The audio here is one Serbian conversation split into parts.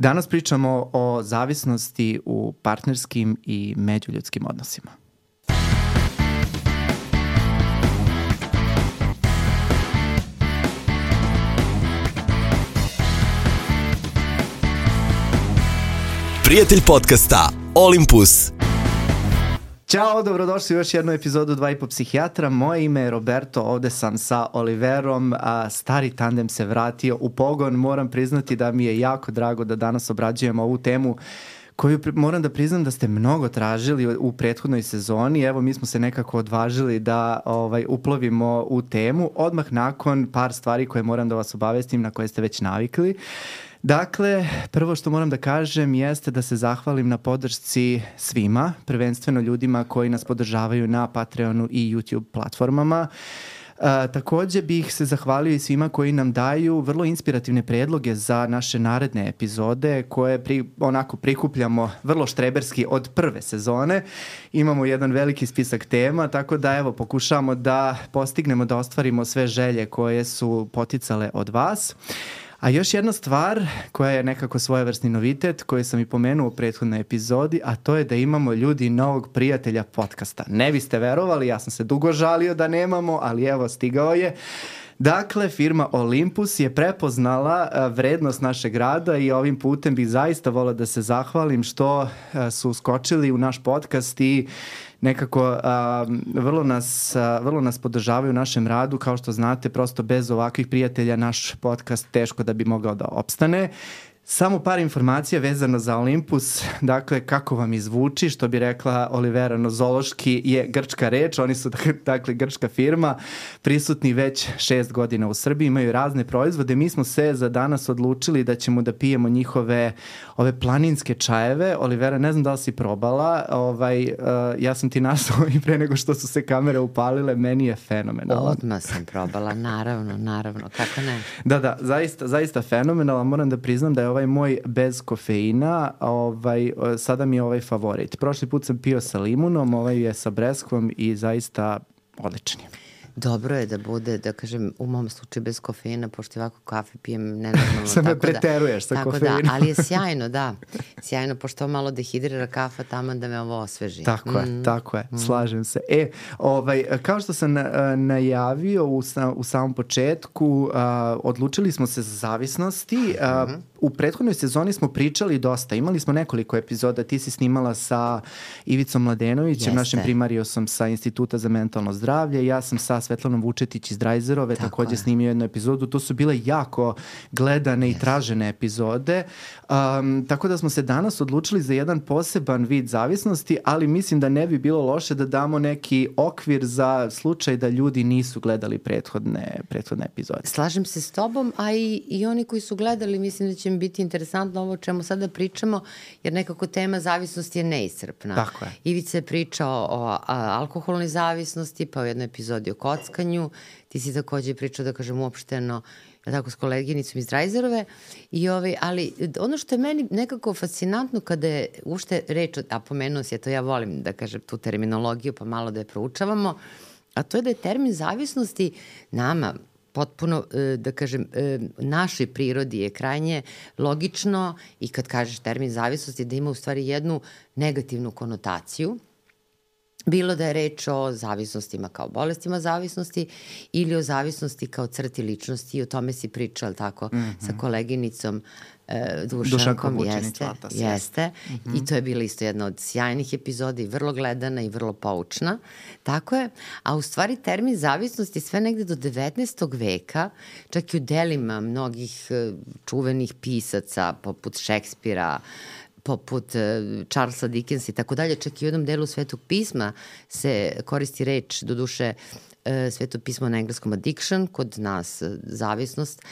Danas pričamo o zavisnosti u partnerskim i međuljudskim odnosima. Prijatelj podcasta Olympus. Ćao, dobrodošli u još jednu epizodu 2,5 psihijatra. Moje ime je Roberto, ovde sam sa Oliverom, a stari tandem se vratio u pogon. Moram priznati da mi je jako drago da danas obrađujemo ovu temu koju moram da priznam da ste mnogo tražili u prethodnoj sezoni. Evo, mi smo se nekako odvažili da uplovimo u temu odmah nakon par stvari koje moram da vas obavestim, na koje ste već navikli. Dakle, prvo što moram da kažem jeste da se zahvalim na podršci svima, prvenstveno ljudima koji nas podržavaju na Patreonu i YouTube platformama. Takođe bih se zahvalio i svima koji nam daju vrlo inspirativne predloge za naše naredne epizode koje prikupljamo vrlo štreberski od prve sezone. Imamo jedan veliki spisak tema, tako da evo pokušamo da postignemo da ostvarimo sve želje koje su poticale od vas. A još jedna stvar koja je nekako svojevrsni novitet koju sam i pomenuo u prethodnoj epizodi, a to je da imamo ljudi novog prijatelja podcasta. Ne biste verovali, ja sam se dugo žalio da nemamo, ali evo stigao je. Dakle, firma Olympus je prepoznala vrednost našeg rada i ovim putem bih zaista volao da se zahvalim što su skočili u naš podcast i nekako vrlo nas podržavaju u našem radu. Kao što znate, prosto bez ovakvih prijatelja naš podcast teško da bi mogao da opstane. Samo par informacija vezano za Olympus, dakle kako vam izvuči, što bi rekla Olivera nozološki je grčka reč, oni su dakle grčka firma, prisutni već 6 godina u Srbiji, imaju razne proizvode, mi smo se za danas odlučili da ćemo da pijemo njihove ove planinske čajeve. Olivera, ne znam da li si probala, ja sam ti nasao i pre nego što su se kamere upalile, meni je fenomenalno. Odmah sam probala, naravno, kako ne? Da, zaista fenomenalno, moram da priznam da je ovaj moj bez kofeina, sada mi je favorit. Prošli put sam pio sa limunom, ovaj je sa breskvom i zaista odličan je. Dobro je da bude, da kažem, u mom slučaju bez kofeina, pošto ovako kafe pijem nenormalno. Samo preteruješ sa kofeinom. Tako da, ali je sjajno, da. Sjajno, pošto malo dehidrira kafa tamo da me ovo osveži. Tako je, slažem se. Kao što sam najavio u samom početku, odlučili smo se za zavisnosti. U prethodnoj sezoni smo pričali dosta, imali smo nekoliko epizoda, ti si snimala sa Ivicom Mladenovićem, našim primarijusom sa Instituta za mentalno zdravlje, ja sam sa Svetlanom Vučetić iz Drajzerove takođe snimio jednu epizodu, to su bile jako gledane i tražene epizode, tako da smo se danas odlučili za jedan poseban vid zavisnosti, ali mislim da ne bi bilo loše da damo neki okvir za slučaj da ljudi nisu gledali prethodne epizode. Slažem se s tobom, a i oni koji su gledali, mislim da će mi biti interesantno ovo o čemu sada pričamo, jer nekako tema zavisnosti je neiscrpna. Tako je. Ivica je pričao o alkoholnoj zavisnosti, pa u jednoj epizodi o kockanju, ti si takođe pričao, da kažem, uopšteno, tako s koleginicom iz Drajzerove, ali ono što je meni nekako fascinantno kada je ušte reč, a pomenuo si, to ja volim da kažem tu terminologiju, pa malo da je proučavamo, a to je da je termin zavisnosti nama potpuno, da kažem, našoj prirodi je krajnje logično i kad kažeš termin zavisnosti da ima u stvari jednu negativnu konotaciju, bilo da je reč o zavisnostima kao bolestima zavisnosti ili o zavisnosti kao crti ličnosti, i o tome si pričao, tako, sa koleginicom Dušankom, jeste. I to je bila isto jedna od sjajnih epizoda i vrlo gledana i vrlo poučna. Tako je, a u stvari termin zavisnosti sve negde do 19. veka, čak i u delima mnogih čuvenih pisaca poput Šekspira, poput Charlesa Dickensa i tako dalje, čak i u jednom delu Svetog pisma se koristi reč, doduše Sveto pismo na engleskom addiction, kod nas zavisnost,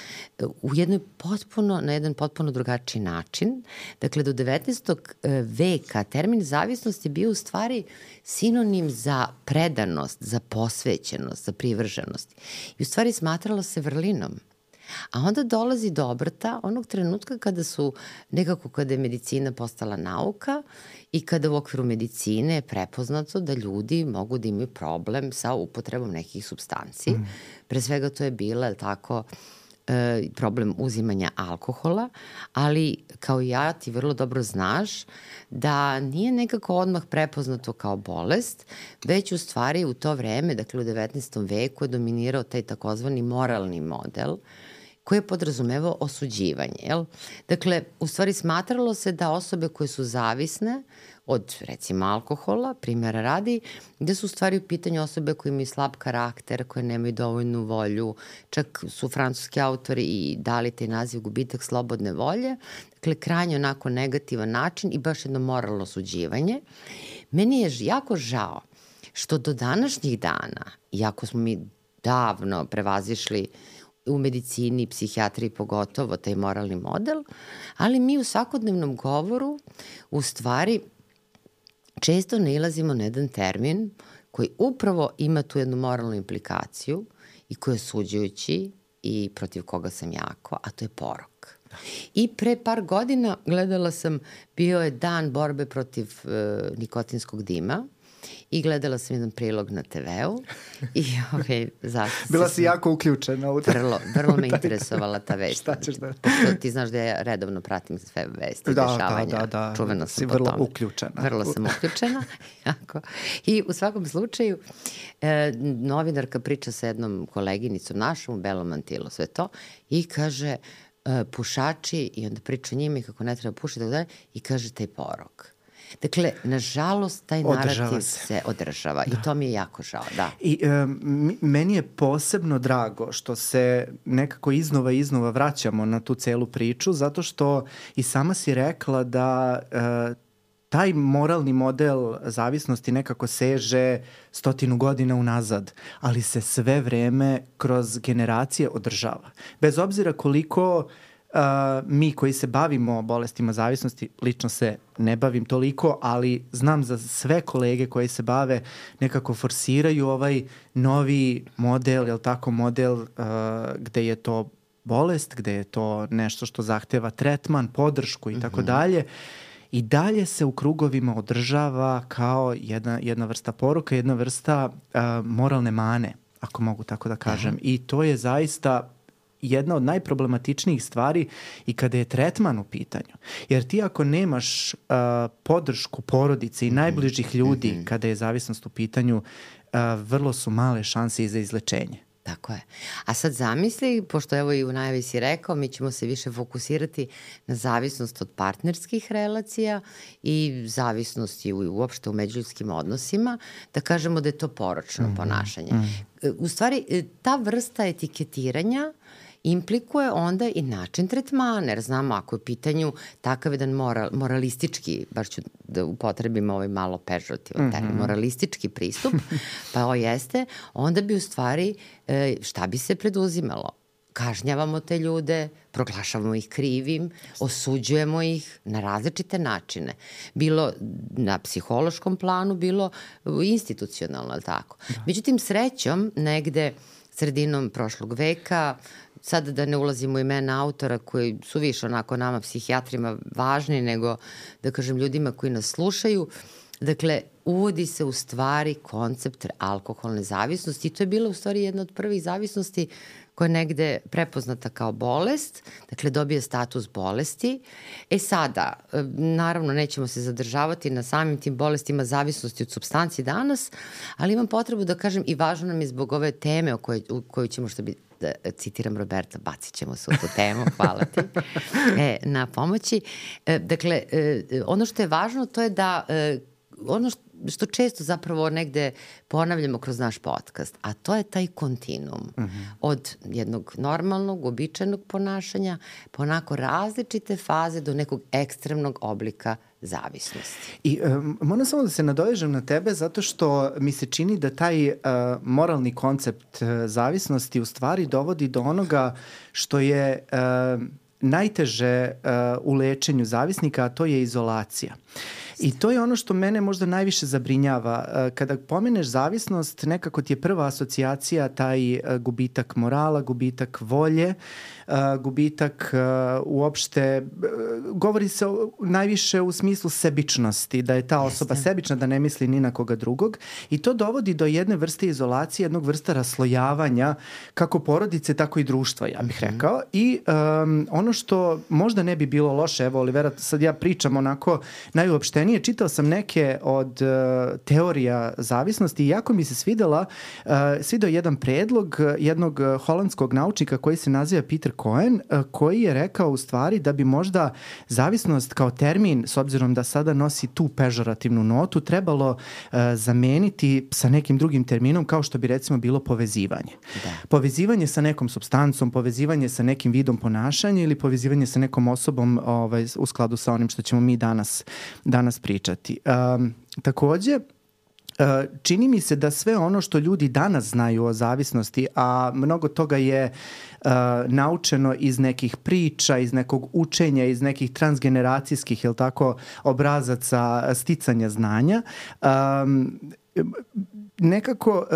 na jedan potpuno drugačiji način. Dakle, do 19. veka termin zavisnost je bio u stvari sinonim za predanost, za posvećenost, za privrženost. I u stvari smatralo se vrlinom. A onda dolazi do obrta onog trenutka kada je medicina postala nauka i kada u okviru medicine je prepoznato da ljudi mogu da imaju problem sa upotrebom nekih supstanci. Pre svega to je bila, tako, problem uzimanja alkohola, ali kao ja ti vrlo dobro znaš da nije nekako odmah prepoznato kao bolest, već u stvari u to vreme, dakle u 19. veku je dominirao taj takozvani moralni model koji je podrazumevao osuđivanje. Jel? Dakle, u stvari smatralo se da osobe koje su zavisne od, recimo, alkohola, primjera radi, gde su u stvari u pitanju osobe koje imaju slab karakter, koje nemaju dovoljnu volju, čak su francuski autori i dali taj naziv gubitak slobodne volje, dakle, krajnje onako negativan način i baš jedno moralno osuđivanje. Meni je jako žao što do današnjih dana, iako smo mi davno prevazišli u medicini, psihijatriji pogotovo taj moralni model, ali mi u svakodnevnom govoru u stvari često nailazimo na jedan termin koji upravo ima tu jednu moralnu implikaciju i koji je osuđujući i protiv koga sam jako, a to je porok. I pre par godina gledala sam, bio je dan borbe protiv nikotinskog dima i gledala sam jedan prilog na TV-u i bila si jako uključena u to. Vrlo me interesovala ta vest. Šta ćeš da... Pošto ti znaš da ja redovno pratim sve vesti, dešavanja. Da. Čuvena sam si po vrlo tome. uključena. Vrlo sam uključena. Jako. I u svakom slučaju, novinarka priča sa jednom koleginicom našom u belom mantilu, sve to, i kaže pušači, i onda priča o njima i kako ne treba pušiti, i kaže taj porok. Dakle, nažalost, taj narativ se održava i to mi je jako žao, da. I meni je posebno drago što se nekako iznova vraćamo na tu celu priču, zato što i sama si rekla da taj moralni model zavisnosti nekako seže 100 godina unazad, ali se sve vreme kroz generacije održava. Bez obzira koliko mi koji se bavimo bolestima zavisnosti, lično se ne bavim toliko, ali znam za sve kolege koji se bave, nekako forsiraju ovaj novi model, jel tako, model gde je to bolest, gde je to nešto što zahteva tretman, podršku i tako dalje. I dalje se u krugovima održava kao jedna vrsta poruka, jedna vrsta moralne mane, ako mogu tako da kažem. I to je zaista jedna od najproblematičnijih stvari i kada je tretman u pitanju. Jer ti ako nemaš podršku porodice i najbližih ljudi kada je zavisnost u pitanju, vrlo su male šanse i za izlečenje. Tako je. A sad zamisli, pošto evo i u najavi si rekao, mi ćemo se više fokusirati na zavisnost od partnerskih relacija i zavisnosti uopšte u međuljudskim odnosima, da kažemo da je to poročno ponašanje. U stvari, ta vrsta etiketiranja implikuje onda i način tretmana, jer znamo ako je u pitanju takav jedan moralistički, baš ću da upotrebim ovaj malo pežorativan termin, moralistički pristup, pa ovo jeste, onda bi u stvari šta bi se preduzimalo? Kažnjavamo te ljude, proglašavamo ih krivim, osuđujemo ih na različite načine. Bilo na psihološkom planu, bilo institucionalno, ali tako. Međutim, srećom, negde sredinom prošlog veka, sad da ne ulazimo u imena autora koji su više onako nama psihijatrima važni nego, da kažem, ljudima koji nas slušaju. Dakle, uvodi se u stvari koncept alkoholne zavisnosti i to je bila u stvari jedna od prvih zavisnosti koja je negde prepoznata kao bolest, dakle dobije status bolesti. Sada, naravno nećemo se zadržavati na samim tim bolestima zavisnosti od supstanci danas, ali imam potrebu da kažem i važno nam je zbog ove teme u kojoj ćemo, što bi da citiram Roberta, bacit ćemo se u tu temu, hvala ti, na pomoći. Dakle, ono što je važno to je da ono što često zapravo negde ponavljamo kroz naš podcast, a to je taj kontinuum od jednog normalnog, uobičajenog ponašanja po onako različite faze do nekog ekstremnog oblika zavisnosti. I moram samo da se nadovežem na tebe zato što mi se čini da taj moralni koncept zavisnosti u stvari dovodi do onoga što je najteže u lečenju zavisnika, a to je izolacija. I to je ono što mene možda najviše zabrinjava. Kada pomeneš zavisnost, nekako ti je prva asocijacija taj gubitak morala, gubitak volje, gubitak uopšte, govori se najviše u smislu sebičnosti, da je ta osoba sebična, da ne misli ni na koga drugog, i to dovodi do jedne vrste izolacije, jednog vrsta raslojavanja kako porodice, tako i društva, ja bih rekao. I ono što možda ne bi bilo loše, evo Olivera, sad ja pričam onako najuopštenije, čitao sam neke od teorija zavisnosti i jako mi se svidao jedan predlog jednog holandskog naučnika koji se naziva Peter Cohen, koji je rekao u stvari da bi možda zavisnost kao termin, s obzirom da sada nosi tu pežorativnu notu, trebalo zameniti sa nekim drugim terminom, kao što bi recimo bilo povezivanje. Da. Povezivanje sa nekom supstancom, povezivanje sa nekim vidom ponašanja ili povezivanje sa nekom osobom u skladu sa onim što ćemo mi danas pričati. Takođe, čini mi se da sve ono što ljudi danas znaju o zavisnosti, a mnogo toga je naučeno iz nekih priča, iz nekog učenja, iz nekih transgeneracijskih, jel tako, obrazaca sticanja znanja, nekako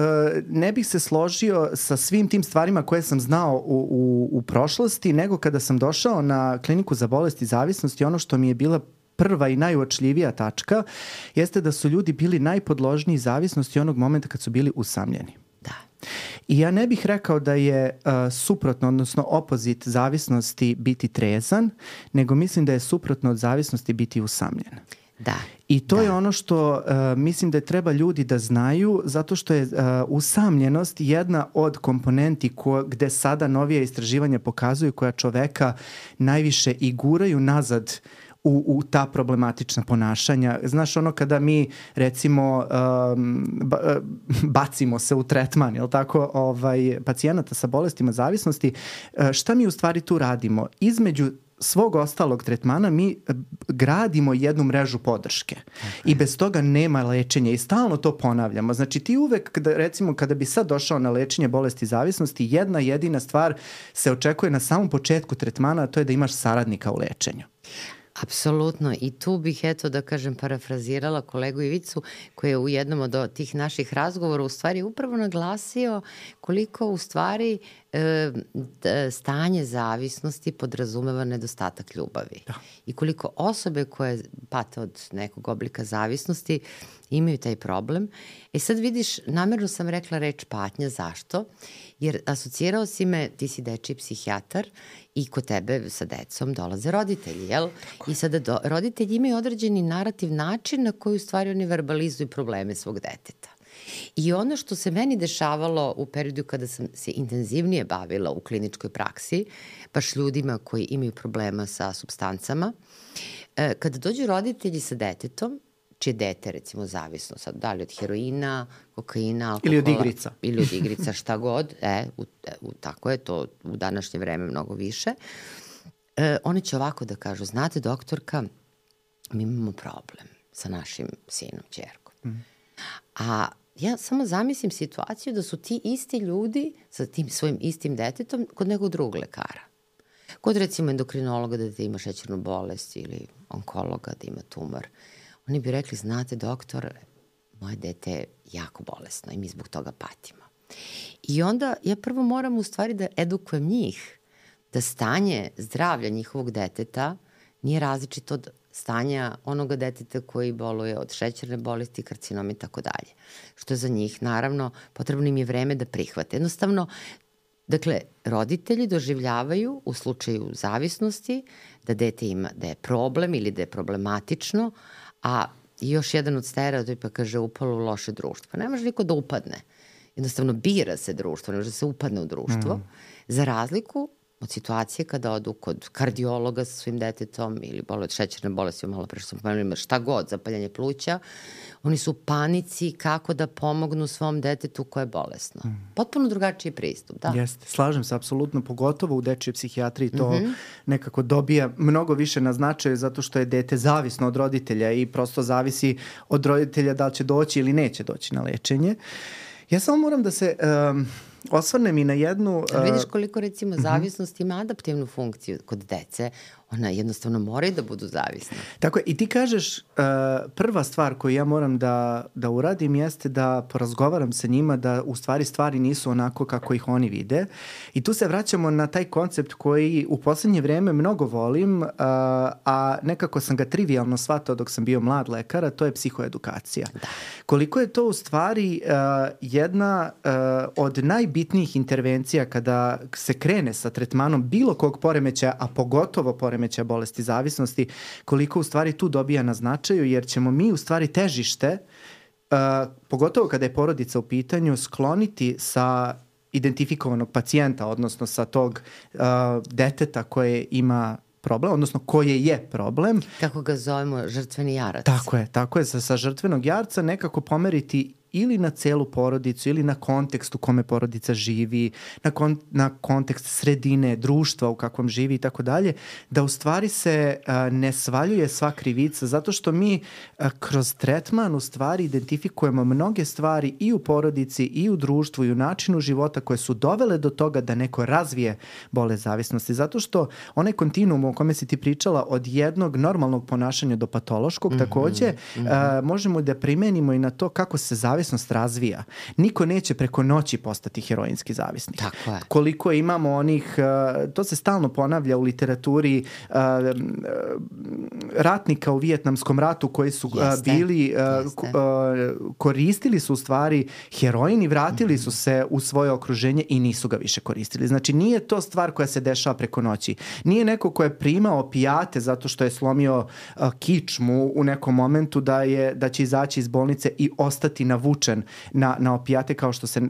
ne bih se složio sa svim tim stvarima koje sam znao u prošlosti, nego kada sam došao na kliniku za bolesti zavisnosti, ono što mi je bila prva i najuočljivija tačka jeste da su ljudi bili najpodložniji zavisnosti onog momenta kad su bili usamljeni. Da. I ja ne bih rekao da je suprotno, odnosno opozit zavisnosti biti trezan, nego mislim da je suprotno od zavisnosti biti usamljen. Da. I to je ono što mislim da treba ljudi da znaju, zato što je usamljenost jedna od komponenti gde sada novije istraživanja pokazuju koja čoveka najviše i guraju nazad u ta problematična ponašanja. Znaš, ono kada mi recimo bacimo se u tretman, jel tako, pacijenata sa bolestima zavisnosti, šta mi u stvari tu radimo? Između svog ostalog tretmana mi gradimo jednu mrežu podrške i bez toga nema lečenja i stalno to ponavljamo. Znači ti uvek, recimo kada bi sad došao na lečenje bolesti zavisnosti, jedna jedina stvar se očekuje na samom početku tretmana, a to je da imaš saradnika u lečenju. Apsolutno, i tu bih, eto da kažem, parafrazirala kolegu Ivicu koji je u jednom od tih naših razgovora u stvari upravo naglasio koliko u stvari stanje zavisnosti podrazumeva nedostatak ljubavi. Da. I koliko osobe koje pate od nekog oblika zavisnosti imaju taj problem. Sad vidiš, namerno sam rekla reč patnja, zašto? Jer asocirao si me, ti si dečiji psihijatar i kod tebe sa decom dolaze roditelji, jel? Tako. I sada roditelji imaju određeni narativ, način na koji u stvari oni verbalizuju probleme svog deteta. I ono što se meni dešavalo u periodu kada sam se intenzivnije bavila u kliničkoj praksi, baš ljudima koji imaju problema sa supstancama, kada dođu roditelji sa detetom, čije dete recimo zavisno sad, da li od heroina, kokaina, alkohola. Ili od igrica, šta god. Tako je to u današnje vreme mnogo više. Oni će ovako da kažu, znate doktorka, mi imamo problem sa našim sinom, ćerkom. A ja samo zamislim situaciju da su ti isti ljudi sa tim svojim istim detetom kod nekog drugog lekara. Kod recimo endokrinologa da ima šećernu bolest ili onkologa da ima tumor. Oni bi rekli, znate doktor, moje dete je jako bolesno i mi zbog toga patimo. I onda ja prvo moram u stvari da edukujem njih da stanje zdravlja njihovog deteta nije različito od stanja onoga deteta koji boluje od šećerne bolesti, karcinoma i tako dalje. Što je za njih, naravno, potrebno im je vreme da prihvate. Jednostavno, dakle, roditelji doživljavaju u slučaju zavisnosti da dete ima, da je problem ili da je problematično, a još jedan od stereotipa kaže upalo u loše društvo. Pa ne može niko da upadne. Jednostavno bira se društvo, ne može da se upadne u društvo. Za razliku od situacije kada odu kod kardiologa sa svojim detetom ili boluje od šećerne bolesti, malo pre što sam pomenula, šta god, zapaljanje pluća, oni su u panici kako da pomognu svom detetu koje je bolesno. Potpuno drugačiji pristup, da? Jeste, slažem se, apsolutno, pogotovo u dečjoj psihijatriji to nekako dobija mnogo više na značaju zato što je dete zavisno od roditelja i prosto zavisi od roditelja da li će doći ili neće doći na lečenje. Ja samo moram da se osvrnem i na jednu... Vidiš koliko recimo zavisnost ima adaptivnu funkciju kod dece. Ona jednostavno moraju da budu zavisne. Tako je, i ti kažeš prva stvar koju ja moram da uradim jeste da porazgovaram sa njima da u stvari nisu onako kako ih oni vide. I tu se vraćamo na taj koncept koji u poslednje vreme mnogo volim, a nekako sam ga trivijalno shvatao dok sam bio mlad lekar, a to je psihoedukacija. Da. Koliko je to u stvari jedna od najbitnijih intervencija kada se krene sa tretmanom bilo kog poremećaja, a pogotovo poremećaja bolesti zavisnosti, koliko u stvari tu dobija na značaju, jer ćemo mi u stvari težište, pogotovo kada je porodica u pitanju, skloniti sa identifikovanog pacijenta, odnosno sa tog deteta koje ima problem, odnosno koje je problem. Kako ga zovemo, žrtveni jarac. Tako je, sa žrtvenog jarca nekako pomeriti ili na celu porodicu ili na kontekst u kome porodica živi, na kontekst sredine, društva u kakvom živi i tako dalje, da u stvari se ne svaljuje sva krivica, zato što mi kroz tretman u stvari identifikujemo mnoge stvari i u porodici i u društvu i u načinu života koje su dovele do toga da neko razvije bolest zavisnosti, zato što onaj kontinuum o kome si ti pričala od jednog normalnog ponašanja do patološkog, takođe možemo da primenimo i na to kako se zavisnost razvija. Niko neće preko noći postati heroinski zavisnik. Tako je. Koliko imamo onih, to se stalno ponavlja u literaturi, ratnika u Vijetnamskom ratu koji su bili, koristili su u stvari heroin i vratili su se u svoje okruženje i nisu ga više koristili. Znači nije to stvar koja se dešava preko noći. Nije neko ko je primao opijate zato što je slomio kičmu u nekom momentu da će izaći iz bolnice i ostati navučen na opijate kao što se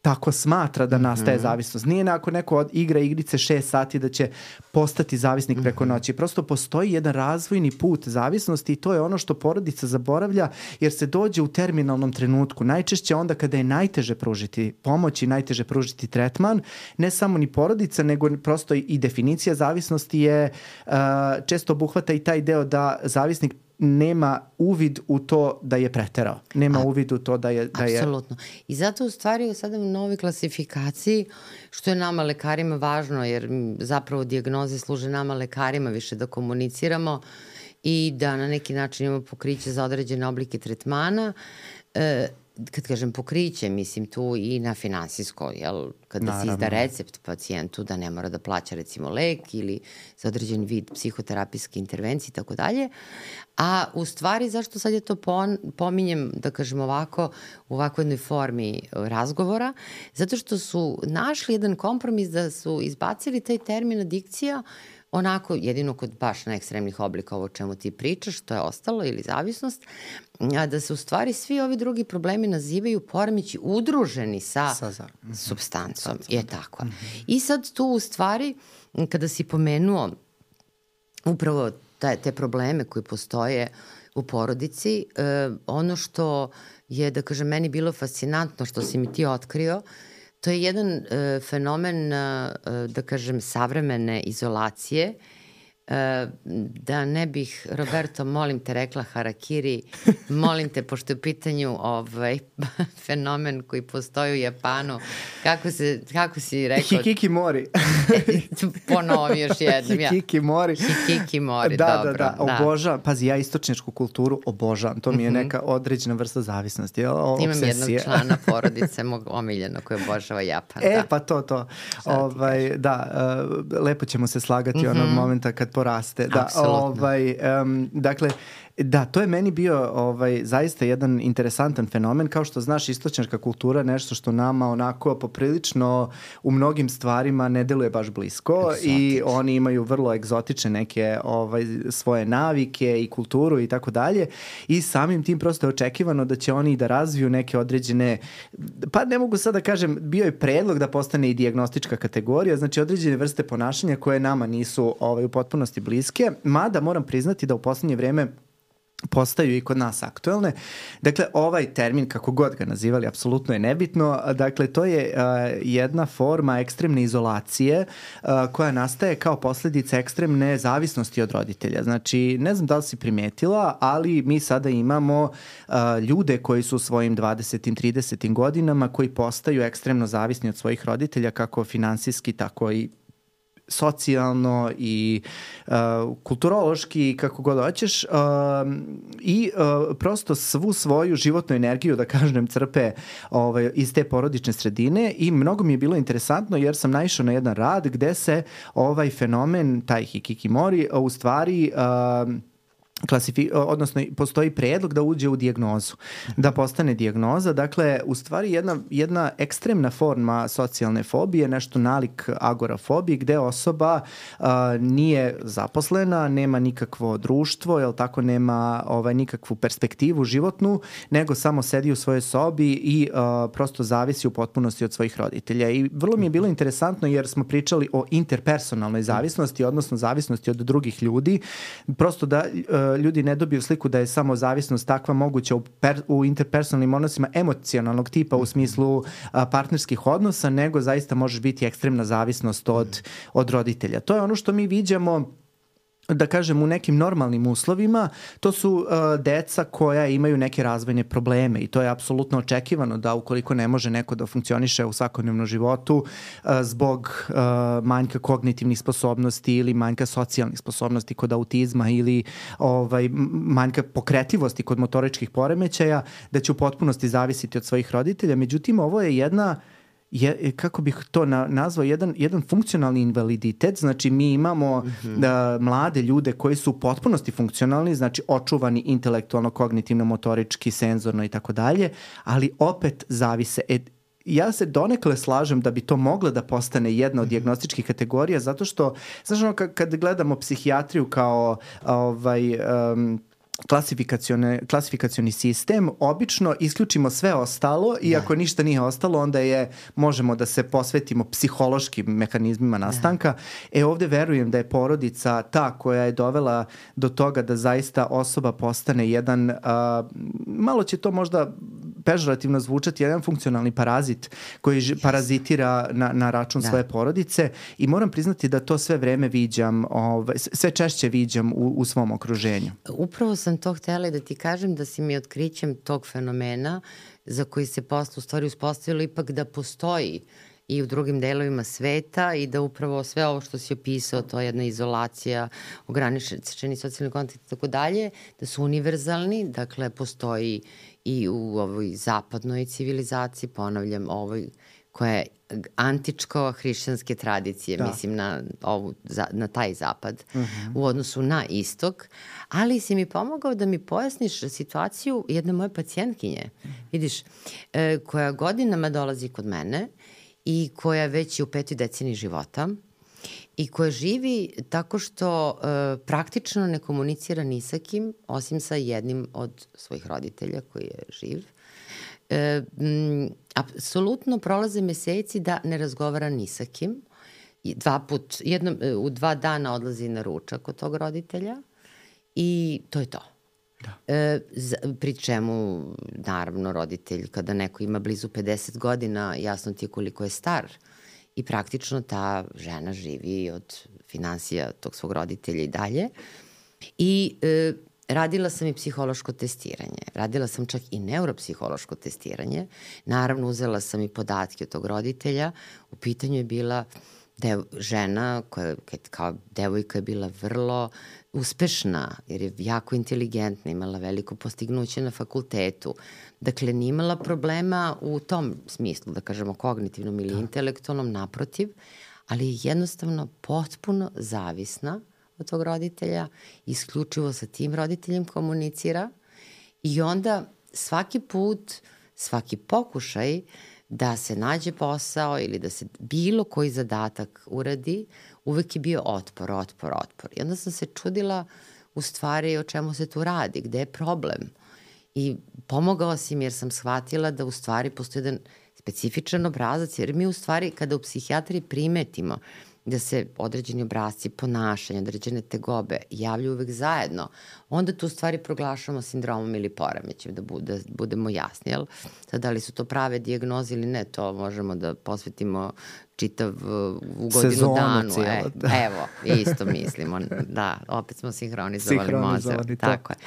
tako smatra da nastaje zavisnost. Nije ako neko igra igrice 6 sati da će postati zavisnik preko noći. Prosto postoji jedan razvojni put zavisnosti i to je ono što porodica zaboravlja jer se dođe u terminalnom trenutku. Najčešće onda kada je najteže pružiti pomoć i najteže pružiti tretman, ne samo ni porodica, nego prosto i definicija zavisnosti je često obuhvata i taj deo da zavisnik nema uvid u to da je preterao. Nema uvid u to da je... Apsolutno. I zato u stvari sada u novoj klasifikaciji, što je nama lekarima važno, jer zapravo dijagnoze služe nama lekarima više da komuniciramo i da na neki način imamo pokriće za određene oblike tretmana. Kad kažem pokriće, mislim tu i na finansijsko, jel? Kada se izda recept pacijentu da ne mora da plaća recimo lek ili za određen vid psihoterapijske intervencije i tako dalje. A u stvari zašto sad je to pominjem, da kažem ovako, u ovakvoj jednoj formi razgovora, zato što su našli jedan kompromis da su izbacili taj termin adikcija onako, jedino kod baš neekstremnih oblika ovo o čemu ti pričaš, to je ostalo, ili zavisnost, a da se u stvari svi ovi drugi problemi nazivaju poremeći udruženi sa supstancom. Je tako. I sad tu u stvari, kada si pomenuo upravo te probleme koji postoje u porodici, ono što je, da kažem, meni bilo fascinantno što si mi ti otkrio, to je jedan fenomen, da kažem, savremene izolacije. Da ne bih, Roberto, molim te, rekla harakiri, molim te, pošto je u pitanju fenomen koji postoji u Japanu, kako si rekao? Hikikimori. Ponovi još jednom. Hikikimori. Hikikimori, dobro. Da, obožavam. Pazi, ja istočničku kulturu obožavam. To mi je neka određena vrsta zavisnosti. Imam jednog člana porodice, mog omiljenog, koji obožava Japan. Pa to. Da, lepo ćemo se slagati onog momenta kad poraste. Dakle, da, to je meni bio zaista jedan interesantan fenomen. Kao što znaš, istočnjačka kultura je nešto što nama onako poprilično u mnogim stvarima ne deluje baš blisko i oni imaju vrlo egzotične neke svoje navike i kulturu i tako dalje i samim tim prosto je očekivano da će oni da razviju neke određene, pa ne mogu sad da kažem, bio je predlog da postane i dijagnostička kategorija, znači određene vrste ponašanja koje nama nisu u potpunosti bliske, mada moram priznati da u poslednje vreme postaju i kod nas aktuelne. Dakle, ovaj termin, kako god ga nazivali, apsolutno je nebitno. Dakle, to je jedna forma ekstremne izolacije koja nastaje kao posljedica ekstremne zavisnosti od roditelja. Znači, ne znam da li si primetila, ali mi sada imamo ljude koji su u svojim 20. 30. godinama koji postaju ekstremno zavisni od svojih roditelja, kako finansijski, tako i socijalno i kulturološki, kako god hoćeš, i prosto svu svoju životnu energiju, da kažem, crpe iz te porodične sredine i mnogo mi je bilo interesantno jer sam naišao na jedan rad gde se ovaj fenomen, taj hikikomori, u stvari odnosno postoji predlog da uđe u dijagnozu, da postane dijagnoza. Dakle, u stvari jedna ekstremna forma socijalne fobije, nešto nalik agorafobiji, gde osoba nije zaposlena, nema nikakvo društvo, jel tako, nema nikakvu perspektivu životnu, nego samo sedi u svojoj sobi i prosto zavisi u potpunosti od svojih roditelja. I vrlo mi je bilo interesantno jer smo pričali o interpersonalnoj zavisnosti, odnosno zavisnosti od drugih ljudi, prosto da ljudi ne dobiju sliku da je samo zavisnost takva moguća u interpersonalnim odnosima emocionalnog tipa u smislu partnerskih odnosa, nego zaista može biti ekstremna zavisnost od roditelja. To je ono što mi viđamo, da kažem, u nekim normalnim uslovima. To su deca koja imaju neke razvojne probleme i to je apsolutno očekivano da ukoliko ne može neko da funkcioniše u svakodnevnom životu zbog manjka kognitivnih sposobnosti ili manjka socijalnih sposobnosti kod autizma ili manjka pokretljivosti kod motoričkih poremećaja, da će u potpunosti zavisiti od svojih roditelja. Međutim, ovo je kako bih to nazvao, jedan funkcionalni invaliditet. Znači mi imamo mlade ljude koji su u potpunosti funkcionalni, znači očuvani intelektualno, kognitivno, motorički, senzorno i tako dalje, ali opet zavise. Ja se donekle slažem da bi to mogla da postane jedna od dijagnostičkih kategorija, zato što, znaš, kad gledamo psihijatriju kao klasifikacioni sistem, obično isključimo sve ostalo i ako ništa nije ostalo, onda možemo da se posvetimo psihološkim mehanizmima nastanka. Ovde verujem da je porodica ta koja je dovela do toga da zaista osoba postane jedan, malo će to možda pežorativno zvučati, jedan funkcionalni parazit koji parazitira na račun svoje porodice i moram priznati da to sve vreme viđam, sve češće viđam u svom okruženju. Upravo sam to htjela da ti kažem, da si mi otkrićem tog fenomena za koji se posle u stvari uspostavilo ipak da postoji i u drugim delovima sveta i da upravo sve ovo što si opisao, to je jedna izolacija, ograničeni socijalni kontakt i tako dalje, da su univerzalni, dakle postoji i u ovoj zapadnoj civilizaciji, ponavljam, ovoj koja je antičko-hrišćanske tradicije, mislim na taj zapad u odnosu na istok, ali si mi pomogao da mi pojasniš situaciju jedne moje pacijentkinje, vidiš, koja godinama dolazi kod mene i koja već je u 5. deceniji života i koja živi tako što praktično ne komunicira ni sa kim, osim sa jednim od svojih roditelja koji je živ. Apsolutno prolaze meseci da ne razgovara ni sa kim. U 2 dana odlazi na ručak kod tog roditelja i to je to. Pri čemu, naravno, roditelj, kada neko ima blizu 50 godina, jasno ti je koliko je star i praktično ta žena živi od finansija tog svog roditelja i dalje. I radila sam i psihološko testiranje, radila sam čak i neuropsihološko testiranje, naravno uzela sam i podatke od tog roditelja, u pitanju je bila žena koja kao devojka je bila vrlo uspešna, jer je jako inteligentna, imala veliko postignuće na fakultetu, dakle nije imala problema u tom smislu, da kažemo kognitivnom ili intelektualnom, naprotiv, ali je jednostavno potpuno zavisna od tog roditelja, isključivo sa tim roditeljem komunicira i onda svaki put, svaki pokušaj da se nađe posao ili da se bilo koji zadatak uradi, uvek je bio otpor. I onda sam se čudila u stvari o čemu se tu radi, gde je problem. I pomogao si mi jer sam shvatila da u stvari postoji jedan specifičan obrazac, jer mi u stvari kada u psihijatriji primetimo da se određeni obrazci ponašanja, određene tegobe javljaju uvek zajedno, onda tu stvari proglašamo sindromom ili poremećem, da budemo jasni. Jel? Sad, da li su to prave dijagnoze ili ne, to možemo da posvetimo čitav u godinu danu. Evo, isto mislimo. Da, opet smo sinhronizovali mozak. Tako je.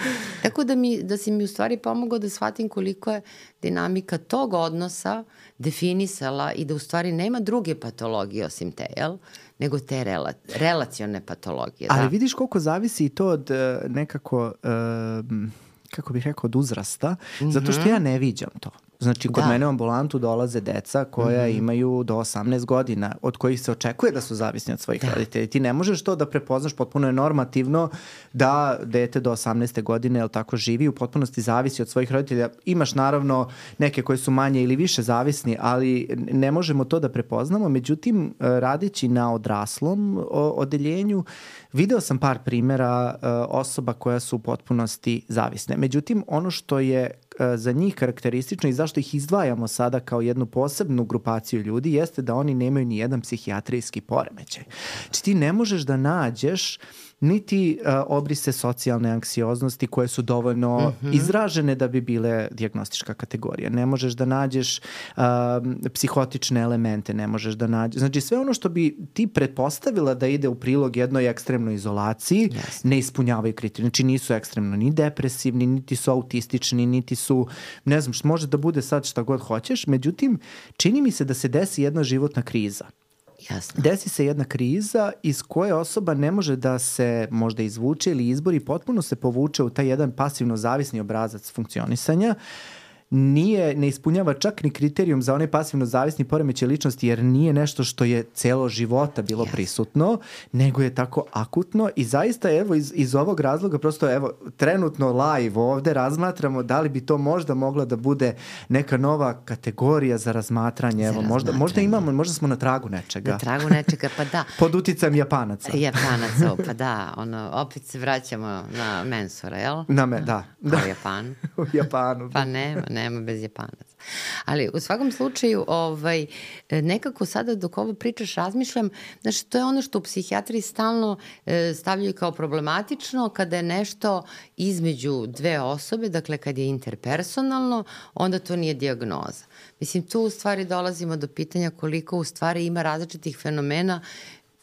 Tako da si mi u stvari pomogao da shvatim koliko je dinamika tog odnosa definisala i da u stvari nema druge patologije osim te, jel? nego te relacione patologije. Ali da. vidiš koliko zavisi i to od nekako, kako bih rekao, od uzrasta, zato što ja ne viđam to. Znači, kod mene u ambulantu dolaze deca koja imaju do 18 godina, od kojih se očekuje da su zavisni od svojih roditelja. Ti ne možeš to da prepoznaš, potpuno je normativno da dete do 18. godine, jel tako, živi, u potpunosti zavisi od svojih roditelja. Imaš naravno neke koji su manje ili više zavisni, ali ne možemo to da prepoznamo. Međutim, radeći na odraslom odeljenju, video sam par primjera osoba koja su u potpunosti zavisne. Međutim, ono što je za njih karakteristično i zašto ih izdvajamo sada kao jednu posebnu grupaciju ljudi jeste da oni nemaju ni jedan psihijatrijski poremećaj. Znači ti ne možeš da nađeš niti obrise socijalne anksioznosti koje su dovoljno izražene da bi bile dijagnostička kategorija. Ne možeš da nađeš psihotične elemente, ne možeš da nađeš... Znači sve ono što bi ti pretpostavila da ide u prilog jednoj ekstremnoj izolaciji, ne ispunjavaju kriterije. Znači nisu ekstremno ni depresivni, niti su autistični, niti su, ne znam, može da bude sad šta god hoćeš, međutim, čini mi se da se desi jedna životna kriza. Jasno. Desi se jedna kriza iz koje osoba ne može da se možda izvuče ili izbori, potpuno se povuče u taj jedan pasivno zavisni obrazac funkcionisanja. Ne ispunjava čak ni kriterijum za onaj pasivno zavisni poremećaj ličnosti, jer nije nešto što je celo života bilo prisutno, nego je tako akutno i zaista evo iz ovog razloga prosto evo trenutno live ovde razmatramo da li bi to možda mogla da bude neka nova kategorija za razmatranje. Evo, možda imamo, možda smo na tragu nečega. Na tragu nečega, pa da. Pod uticajem Japanaca. Japanaca, pa da. Opet se vraćamo na Mensura, jel? Da. U Japanu. U Japanu. Pa nema bez Japanaca. Ali u svakom slučaju nekako sada dok ovo pričaš razmišljam, znači to je ono što u psihijatriji stalno stavljaju kao problematično kada je nešto između dve osobe, dakle kad je interpersonalno, onda to nije dijagnoza. Mislim, tu u stvari dolazimo do pitanja koliko u stvari ima različitih fenomena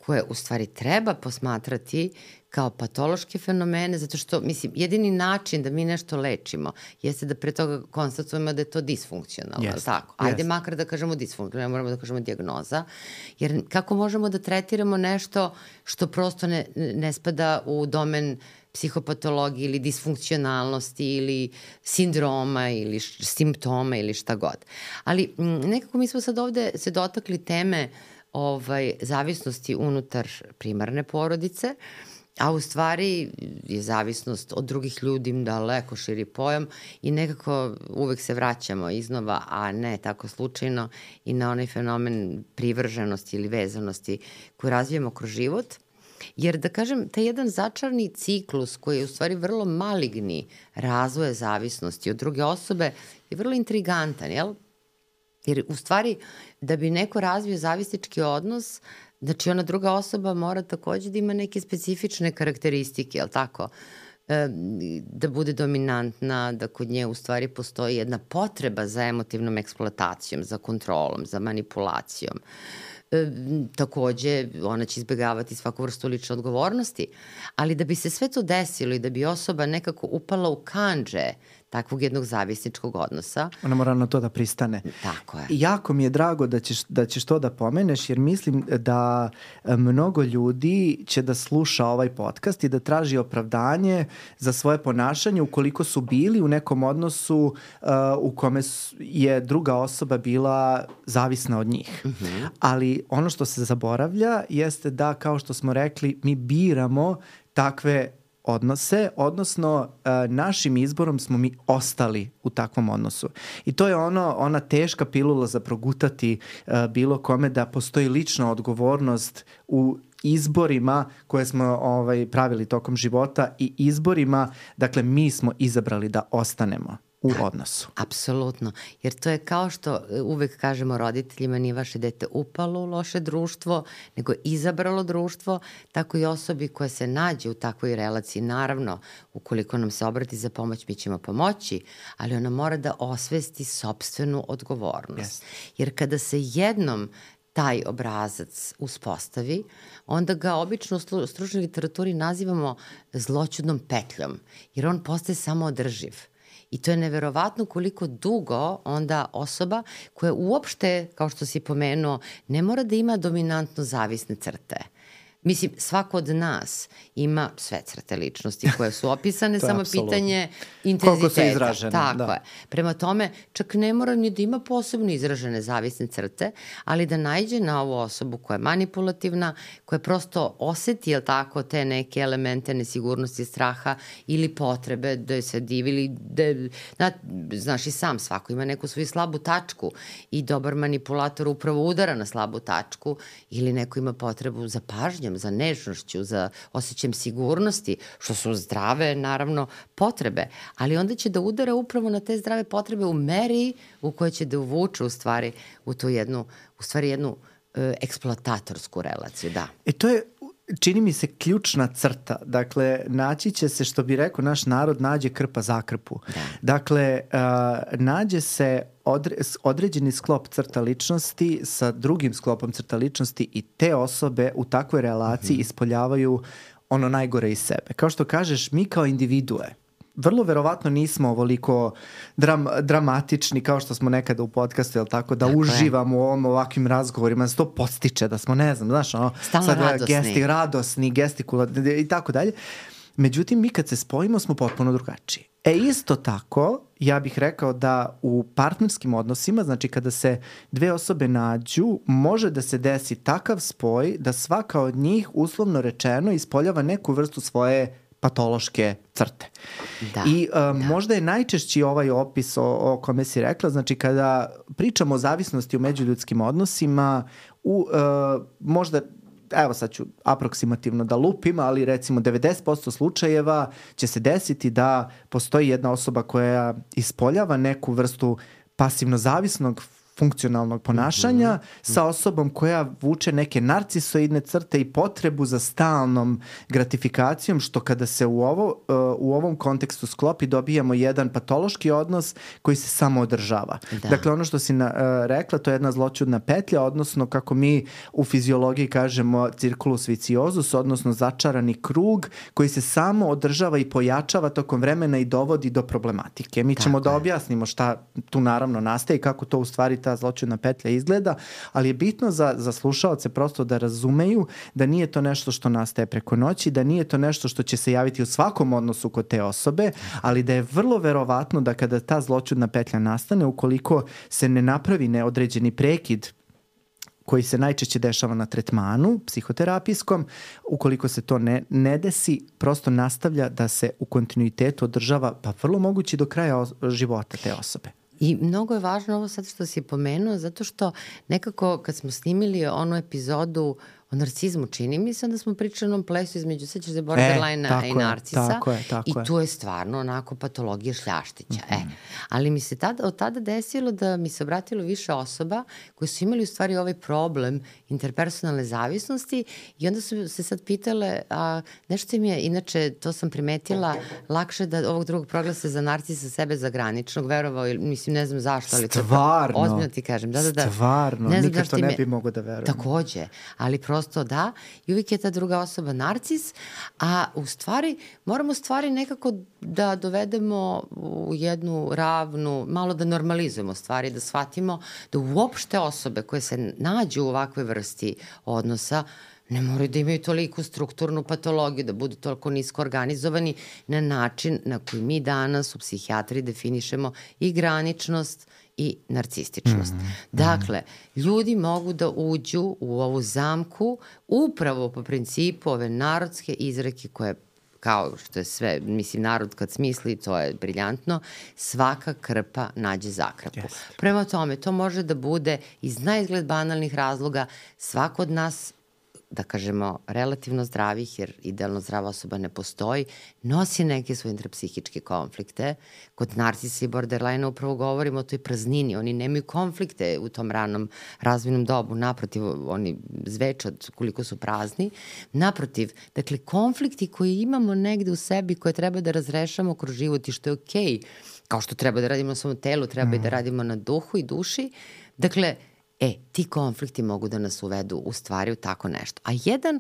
koje u stvari treba posmatrati kao patološke fenomene, zato što, mislim, jedini način da mi nešto lečimo jeste da pre toga konstatujemo da je to disfunkcionalno, tako? Ajde makar da kažemo disfunkcionalno, moramo da kažemo dijagnoza, jer kako možemo da tretiramo nešto što prosto ne spada u domen psihopatologije ili disfunkcionalnosti ili sindroma ili simptoma ili šta god. Ali nekako mi smo sad ovde se dotakli teme zavisnosti unutar primarne porodice, a u stvari je zavisnost od drugih ljudi daleko širi pojam i nekako uvek se vraćamo iznova, a ne tako slučajno, i na onaj fenomen privrženosti ili vezanosti koju razvijamo kroz život. Jer da kažem, taj jedan začarni ciklus koji je u stvari vrlo maligni razvoja zavisnosti od druge osobe je vrlo intrigantan, jel? Jer u stvari da bi neko razvio zavisnički odnos, znači ona druga osoba mora takođe da ima neke specifične karakteristike, jel tako? Da bude dominantna, da kod nje u stvari postoji jedna potreba za emotivnom eksploatacijom, za kontrolom, za manipulacijom. Takođe, ona će izbegavati svaku vrstu lične odgovornosti, ali da bi se sve to desilo i da bi osoba nekako upala u kandže takvog jednog zavisničkog odnosa. Ona mora na to da pristane. Tako je. Jako mi je drago da ćeš to da pomeneš, jer mislim da mnogo ljudi će da sluša ovaj podcast i da traži opravdanje za svoje ponašanje ukoliko su bili u nekom odnosu u kome je druga osoba bila zavisna od njih. Ali ono što se zaboravlja jeste da, kao što smo rekli, mi biramo takve odnose, odnosno našim izborom smo mi ostali u takvom odnosu. I to je ona teška pilula za progutati bilo kome, da postoji lična odgovornost u izborima koje smo pravili tokom života i izborima, dakle mi smo izabrali da ostanemo u odnosu. Apsolutno, jer to je kao što uvek kažemo roditeljima, nije vaše dete upalo u loše društvo, nego izabralo društvo, tako i osobi koja se nađe u takvoj relaciji. Naravno, ukoliko nam se obrati za pomoć, mi ćemo pomoći, ali ona mora da osvesti sopstvenu odgovornost. Jer kada se jednom taj obrazac uspostavi, onda ga obično u stručnoj literaturi nazivamo zloćudnom petljom, jer on postaje samoodrživ. I to je neverovatno koliko dugo onda osoba koja uopšte, kao što si pomenuo, ne mora da ima dominantno zavisne crte. Mislim, svako od nas ima sve crte ličnosti koje su opisane, samo apsolutno pitanje intenziteta. Koliko su izražene. Tako je. Prema tome, čak ne mora ni da ima posebno izražene zavisne crte, ali da naiđe na ovu osobu koja je manipulativna, koja prosto oseti, jel tako, te neke elemente nesigurnosti, straha ili potrebe da se divi ili znaš i sam, svako ima neku svoju slabu tačku i dobar manipulator upravo udara na slabu tačku ili neko ima potrebu za pažnjom, za nežnošću, za osjećajem sigurnosti, što su zdrave, naravno, potrebe. Ali onda će da udara upravo na te zdrave potrebe u meri u kojoj će da uvuče u stvari u tu jednu eksploatatorsku relaciju, da. To je, čini mi se, ključna crta. Dakle, naći će se, što bi rekao naš narod, nađe krpa za krpu. Da. Dakle, nađe se određeni sklop crta ličnosti sa drugim sklopom crta ličnosti i te osobe u takvoj relaciji ispoljavaju ono najgore iz sebe. Kao što kažeš, mi kao individue vrlo verovatno nismo ovoliko dramatični kao što smo nekada u podcastu, jel tako, da uživamo u ovakvim razgovorima, da se to podstiče, da smo, ne znam, znaš, ono, stalno radosni, gestikularni i tako dalje. Međutim, mi kad se spojimo smo potpuno drugačiji. Isto tako, ja bih rekao da u partnerskim odnosima, znači kada se dve osobe nađu, može da se desi takav spoj da svaka od njih, uslovno rečeno, ispoljava neku vrstu svoje patološke crte. Da, I možda je najčešći ovaj opis o kome si rekla, znači kada pričamo o zavisnosti u međuljudskim odnosima, možda, evo sad ću aproksimativno da lupim, ali recimo 90% slučajeva će se desiti da postoji jedna osoba koja ispoljava neku vrstu pasivno zavisnog funkcionalnog ponašanja sa osobom koja vuče neke narcisoidne crte i potrebu za stalnom gratifikacijom, što kada se u ovom kontekstu sklopi dobijamo jedan patološki odnos koji se samo održava. Da. Dakle, ono što si rekla, to je jedna zloćudna petlja, odnosno kako mi u fiziologiji kažemo circulus viciosus, odnosno začarani krug koji se samo održava i pojačava tokom vremena i dovodi do problematike. Mi ćemo da objasnimo šta tu naravno nastaje i kako to u stvari ta zloćudna petlja izgleda, ali je bitno za slušaoce prosto da razumeju da nije to nešto što nastaje preko noći, da nije to nešto što će se javiti u svakom odnosu kod te osobe, ali da je vrlo verovatno da kada ta zloćudna petlja nastane, ukoliko se ne napravi neodređeni prekid koji se najčešće dešava na tretmanu psihoterapijskom, ukoliko se to ne desi, prosto nastavlja da se u kontinuitetu održava, pa vrlo mogući do kraja života te osobe. I mnogo je važno ovo sad što si pomenuo, zato što nekako kad smo snimili onu epizodu o narcizmu, čini mi se, onda smo pričali o onom plesu između, sećaš se, borderline-a i narcisa. Tako je. I tu je stvarno onako patologija šljaštića. Ali mi se od tada desilo da mi se obratilo više osoba koji su imali u stvari ovaj problem interpersonalne zavisnosti i onda su se sad pitale, nešto im je, inače to sam primetila, lakše da ovog drugog proglase za narcisa sebe za graničnog, verovao, mislim, ne znam zašto, ali stvarno, ozbiljno ti kažem. Da. Stvarno, nikad to ne bi mogo da verujem. Takođe, ali prosto da, i uvijek je ta druga osoba narcis, a u stvari moramo stvari nekako da dovedemo u jednu ravnu, malo da normalizujemo stvari, da shvatimo da uopšte osobe koje se nađu u ovakvoj vrsti odnosa ne moraju da imaju toliku strukturnu patologiju, da budu toliko nisko organizovani na način na koji mi danas u psihijatriji definišemo i graničnost i narcističnost. Dakle, ljudi mogu da uđu u ovu zamku upravo po principu ove narodske izreke koje, kao što je sve, mislim, narod kad smisli, to je briljantno, svaka krpa nađe zakrpu. Yes. Prema tome, to može da bude iz naizgled banalnih razloga, svako od nas, da kažemo, relativno zdravih, jer idealno zdrava osoba ne postoji, nosi neke svoje intrapsihičke konflikte. Kod narcisa i borderline upravo govorimo o toj praznini. Oni nemaju konflikte u tom ranom razvojnom dobu. Naprotiv, oni zveče od koliko su prazni. Naprotiv, dakle, konflikti koji imamo negde u sebi koje treba da razrešamo kroz život i što je okej, kao što treba da radimo na svom telu, treba i da radimo na duhu i duši. Dakle, Ti konflikti mogu da nas uvedu u stvari u tako nešto. A jedan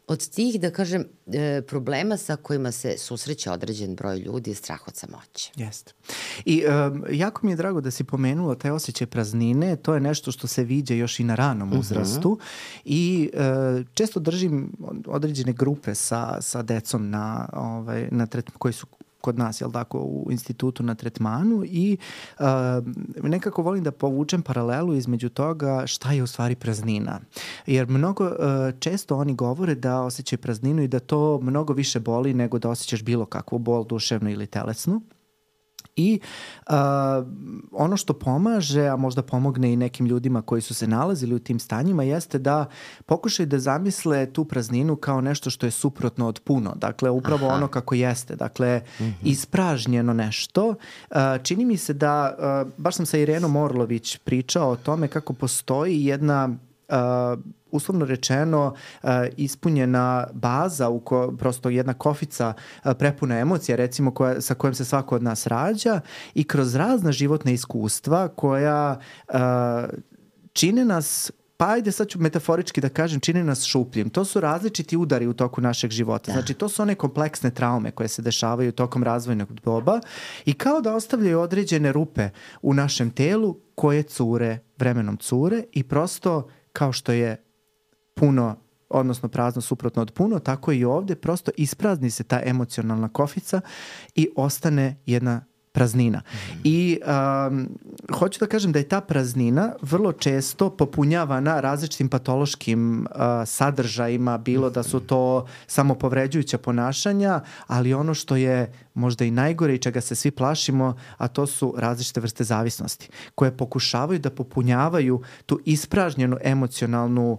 od tih, da kažem, problema sa kojima se susreće određen broj ljudi je strah od samoće. Jeste. I jako mi je drago da si pomenula taj osjećaj praznine, to je nešto što se viđa još i na ranom uzrastu i često držim određene grupe sa decom koji su kod nas, jel tako, u institutu na tretmanu i nekako volim da povučem paralelu između toga šta je u stvari praznina. Jer mnogo često oni govore da osjećaju prazninu i da to mnogo više boli nego da osjećaš bilo kakvu bol, duševnu ili telesnu. I ono što pomaže, a možda pomogne i nekim ljudima koji su se nalazili u tim stanjima, jeste da pokušaju da zamisle tu prazninu kao nešto što je suprotno od puno. Dakle, upravo ono kako jeste. Dakle, ispražnjeno nešto. Čini mi se da, baš sam sa Irenom Orlović pričao o tome kako postoji jedna uslovno rečeno ispunjena baza, prosto jedna kofica prepuna emocija, recimo sa kojom se svako od nas rađa i kroz razna životna iskustva koja čine nas, pa ajde sad ću metaforički da kažem, čine nas šupljim. To su različiti udari u toku našeg života. Znači to su one kompleksne traume koje se dešavaju tokom razvojnog doba i kao da ostavljaju određene rupe u našem telu koje vremenom cure i prosto kao što je puno, odnosno prazno suprotno od puno, tako i ovde prosto isprazni se ta emocionalna kofica i ostane jedna praznina. I hoću da kažem da je ta praznina vrlo često popunjavana različitim patološkim sadržajima, bilo da su to samopovređujuća ponašanja, ali ono što je možda i najgore i čega se svi plašimo, a to su različite vrste zavisnosti, koje pokušavaju da popunjavaju tu ispražnjenu emocionalnu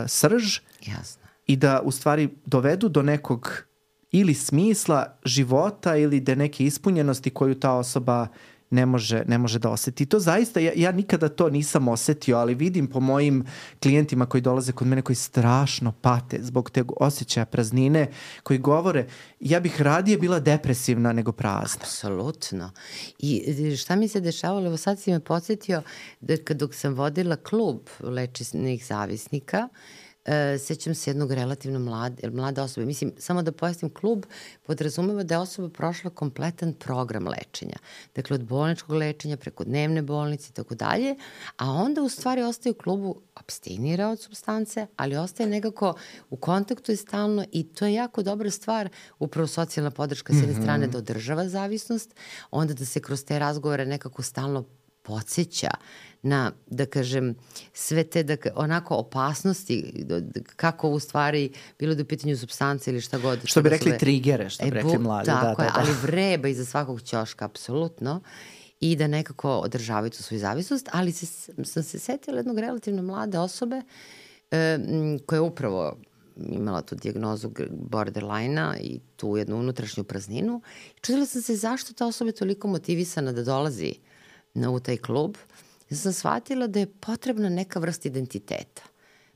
srž. Jasno. I da u stvari dovedu do nekog ili smisla života ili da neke ispunjenosti koju ta osoba ne može da oseti. To zaista, ja nikada to nisam osetio, ali vidim po mojim klijentima koji dolaze kod mene koji strašno pate zbog teg osjećaja praznine, koji govore ja bih radije bila depresivna nego prazna. Apsolutno. I šta mi se dešavalo, evo sad si me podsjetio da dok sam vodila klub lečenih zavisnika, sećam se jednog relativno mlade osobe. Mislim, samo da pojasnim, klub podrazumeva da je osoba prošla kompletan program lečenja. Dakle, od bolničkog lečenja preko dnevne bolnice i tako dalje, a onda u stvari ostaje u klubu, apstinira od supstance, ali ostaje nekako u kontaktu je stalno i to je jako dobra stvar, upravo socijalna podrška s jedne strane da održava zavisnost, onda da se kroz te razgovore nekako stalno podsjeća na, da kažem, sve te onako opasnosti, kako u stvari bilo da u pitanju supstance ili šta god. Što bi rekli trigere, što bi rekli mladi. Tako je, ali vreba iza svakog ćoška, apsolutno, i da nekako održavaju tu svoju zavisnost, ali sam se setila jednog relativno mlade osobe koja je upravo imala tu dijagnozu borderline-a i tu jednu unutrašnju prazninu. Čudila sam se zašto ta osoba je toliko motivisana da dolazi u taj klub. Ja sam shvatila da je potrebna neka vrsta identiteta,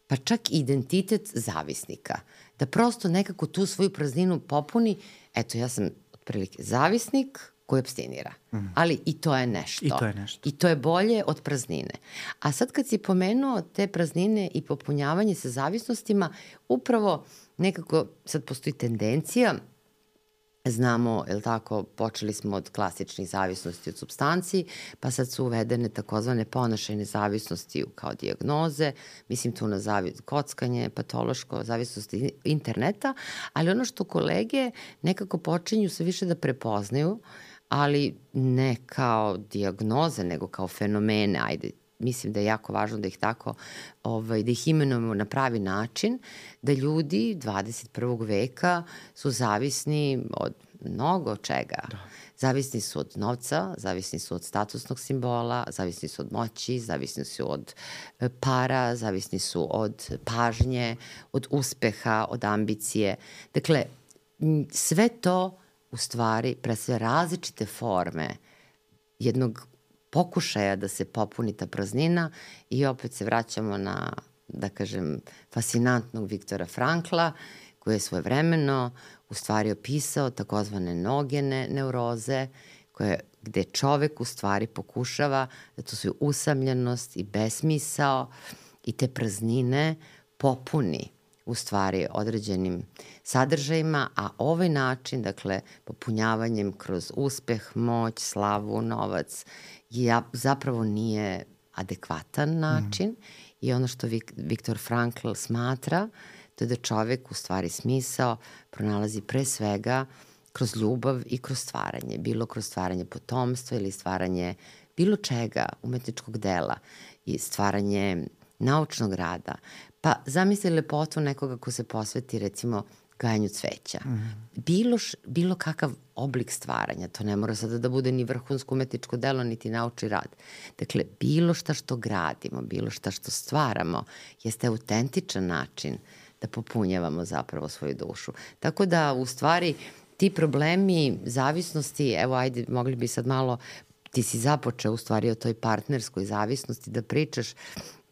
pa čak i identitet zavisnika, da prosto nekako tu svoju prazninu popuni. Eto, ja sam otprilike zavisnik koji apstinira, ali i to je nešto. I to je bolje od praznine. A sad kad si pomenuo te praznine i popunjavanje sa zavisnostima, upravo nekako sad postoji tendencija. Znamo, je li tako, počeli smo od klasičnih zavisnosti od supstanci, pa sad su uvedene takozvane ponašajne zavisnosti kao dijagnoze, mislim tu na kockanje, patološko, zavisnosti interneta, ali ono što kolege nekako počinju sve više da prepoznaju, ali ne kao dijagnoze, nego kao fenomene, ajde, mislim da je jako važno da ih tako, da ih imenujemo na pravi način, da ljudi 21. veka su zavisni od mnogo čega. Da. Zavisni su od novca, zavisni su od statusnog simbola, zavisni su od moći, zavisni su od para, zavisni su od pažnje, od uspeha, od ambicije. Dakle, sve to u stvari predstavlja različite forme jednog pokušaja da se popuni ta praznina i opet se vraćamo na, da kažem, fascinantnog Viktora Frankla, koji je svojevremeno u stvari opisao takozvane nogene neuroze, gde čovek u stvari pokušava da tu svoju usamljenost i besmisao i te praznine popuni u stvari određenim sadržajima, a ovaj način, dakle, popunjavanjem kroz uspeh, moć, slavu, novac, zapravo nije adekvatan način i ono što Viktor Frankl smatra, to je da čovek u stvari smisao pronalazi pre svega kroz ljubav i kroz stvaranje, bilo kroz stvaranje potomstva ili stvaranje bilo čega, umetničkog dela i stvaranje naučnog rada. Pa zamisli lepotu nekoga ko se posveti recimo gajanju cveća. Bilo kakav oblik stvaranja, to ne mora sada da bude ni vrhunsko umetničko delo, niti naučni rad. Dakle, bilo šta što gradimo, bilo šta što stvaramo, jeste autentičan način da popunjavamo zapravo svoju dušu. Tako da, u stvari, ti problemi zavisnosti, evo ajde, mogli bi sad malo, ti si započeo u stvari o toj partnerskoj zavisnosti da pričaš.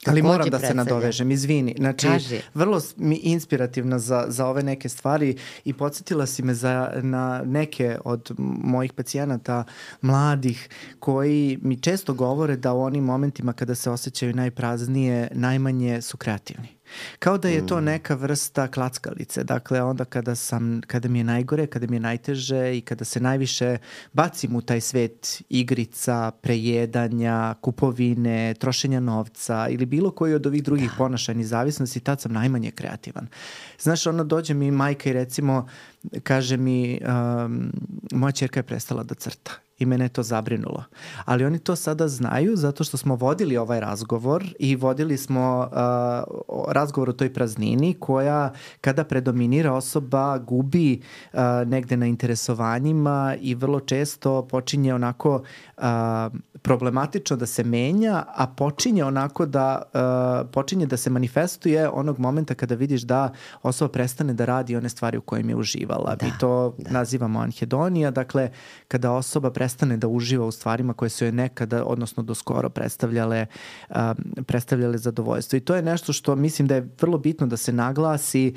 Ali moram da se nadovežem, izvini. Znači, vrlo mi inspirativna za ove neke stvari i podsjetila si me na neke od mojih pacijenata mladih koji mi često govore da u onim momentima kada se osjećaju najpraznije, najmanje su kreativni. Kao da je to neka vrsta klackalice. Dakle, onda kada mi je najgore, kada mi je najteže i kada se najviše bacim u taj svet igrica, prejedanja, kupovine, trošenja novca ili bilo koji od ovih drugih ponašajnih zavisnosti, tad sam najmanje kreativan. Znaš, dođe mi majka i recimo kaže mi moja ćerka je prestala da crta. I mene je to zabrinulo. Ali oni to sada znaju zato što smo vodili ovaj razgovor i vodili smo razgovor o toj praznini koja kada predominira osoba gubi negde na interesovanjima i vrlo često počinje onako problematično da se menja, a počinje onako počinje da se manifestuje onog momenta kada vidiš da osoba prestane da radi one stvari u kojim je uživala. Mi to nazivamo anhedonija, dakle kada osoba prestane da uživa u stvarima koje su joj nekada, odnosno do skoro predstavljale zadovoljstvo. I to je nešto što mislim da je vrlo bitno da se naglasi,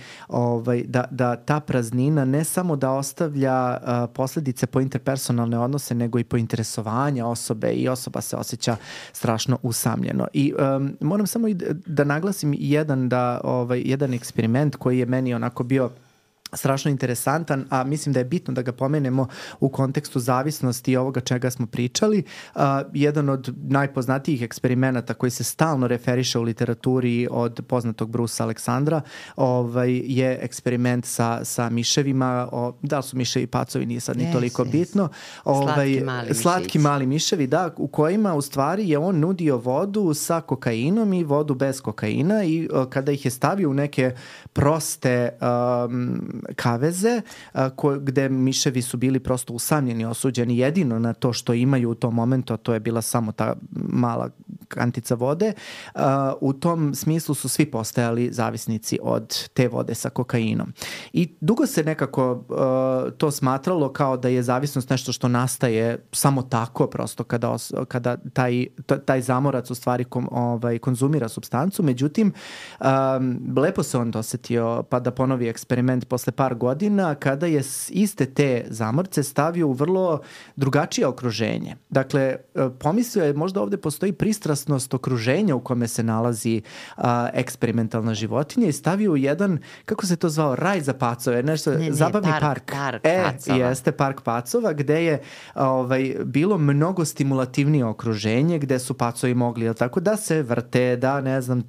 da ta praznina ne samo da ostavlja posledice po interpersonalne odnose, nego i po interesovanja osobe i osoba se osjeća strašno usamljeno. I moram samo da naglasim jedan eksperiment koji je meni onako bio strašno interesantan, a mislim da je bitno da ga pomenemo u kontekstu zavisnosti i ovoga čega smo pričali. Jedan od najpoznatijih eksperimenata koji se stalno referiše u literaturi od poznatog Brusa Aleksandra je eksperiment sa miševima. Da li su miševi pacovi, nije sad ni toliko bitno. Slatki mali miševi, da, u kojima u stvari je on nudio vodu sa kokainom i vodu bez kokaina i kada ih je stavio u neke proste kaveze gde miševi su bili prosto usamljeni, osuđeni jedino na to što imaju u tom momentu, a to je bila samo ta mala kantica vode. U tom smislu su svi postajali zavisnici od te vode sa kokainom. I dugo se nekako to smatralo kao da je zavisnost nešto što nastaje samo tako, prosto kada taj zamorac u stvari konzumira supstancu. Međutim, lepo se on dosetio pa da ponovi eksperiment posle par godina kada je iste te zamorce stavio u vrlo drugačije okruženje. Dakle, pomislio je možda ovde postoji pristrasnost okruženja u kome se nalazi eksperimentalna životinja i stavio u jedan, kako se to zvao, raj za pacove, nešto, zabavni park. Jeste park pacova gde je bilo mnogo stimulativnije okruženje gde su pacovi mogli, tako da se vrte, da ne znam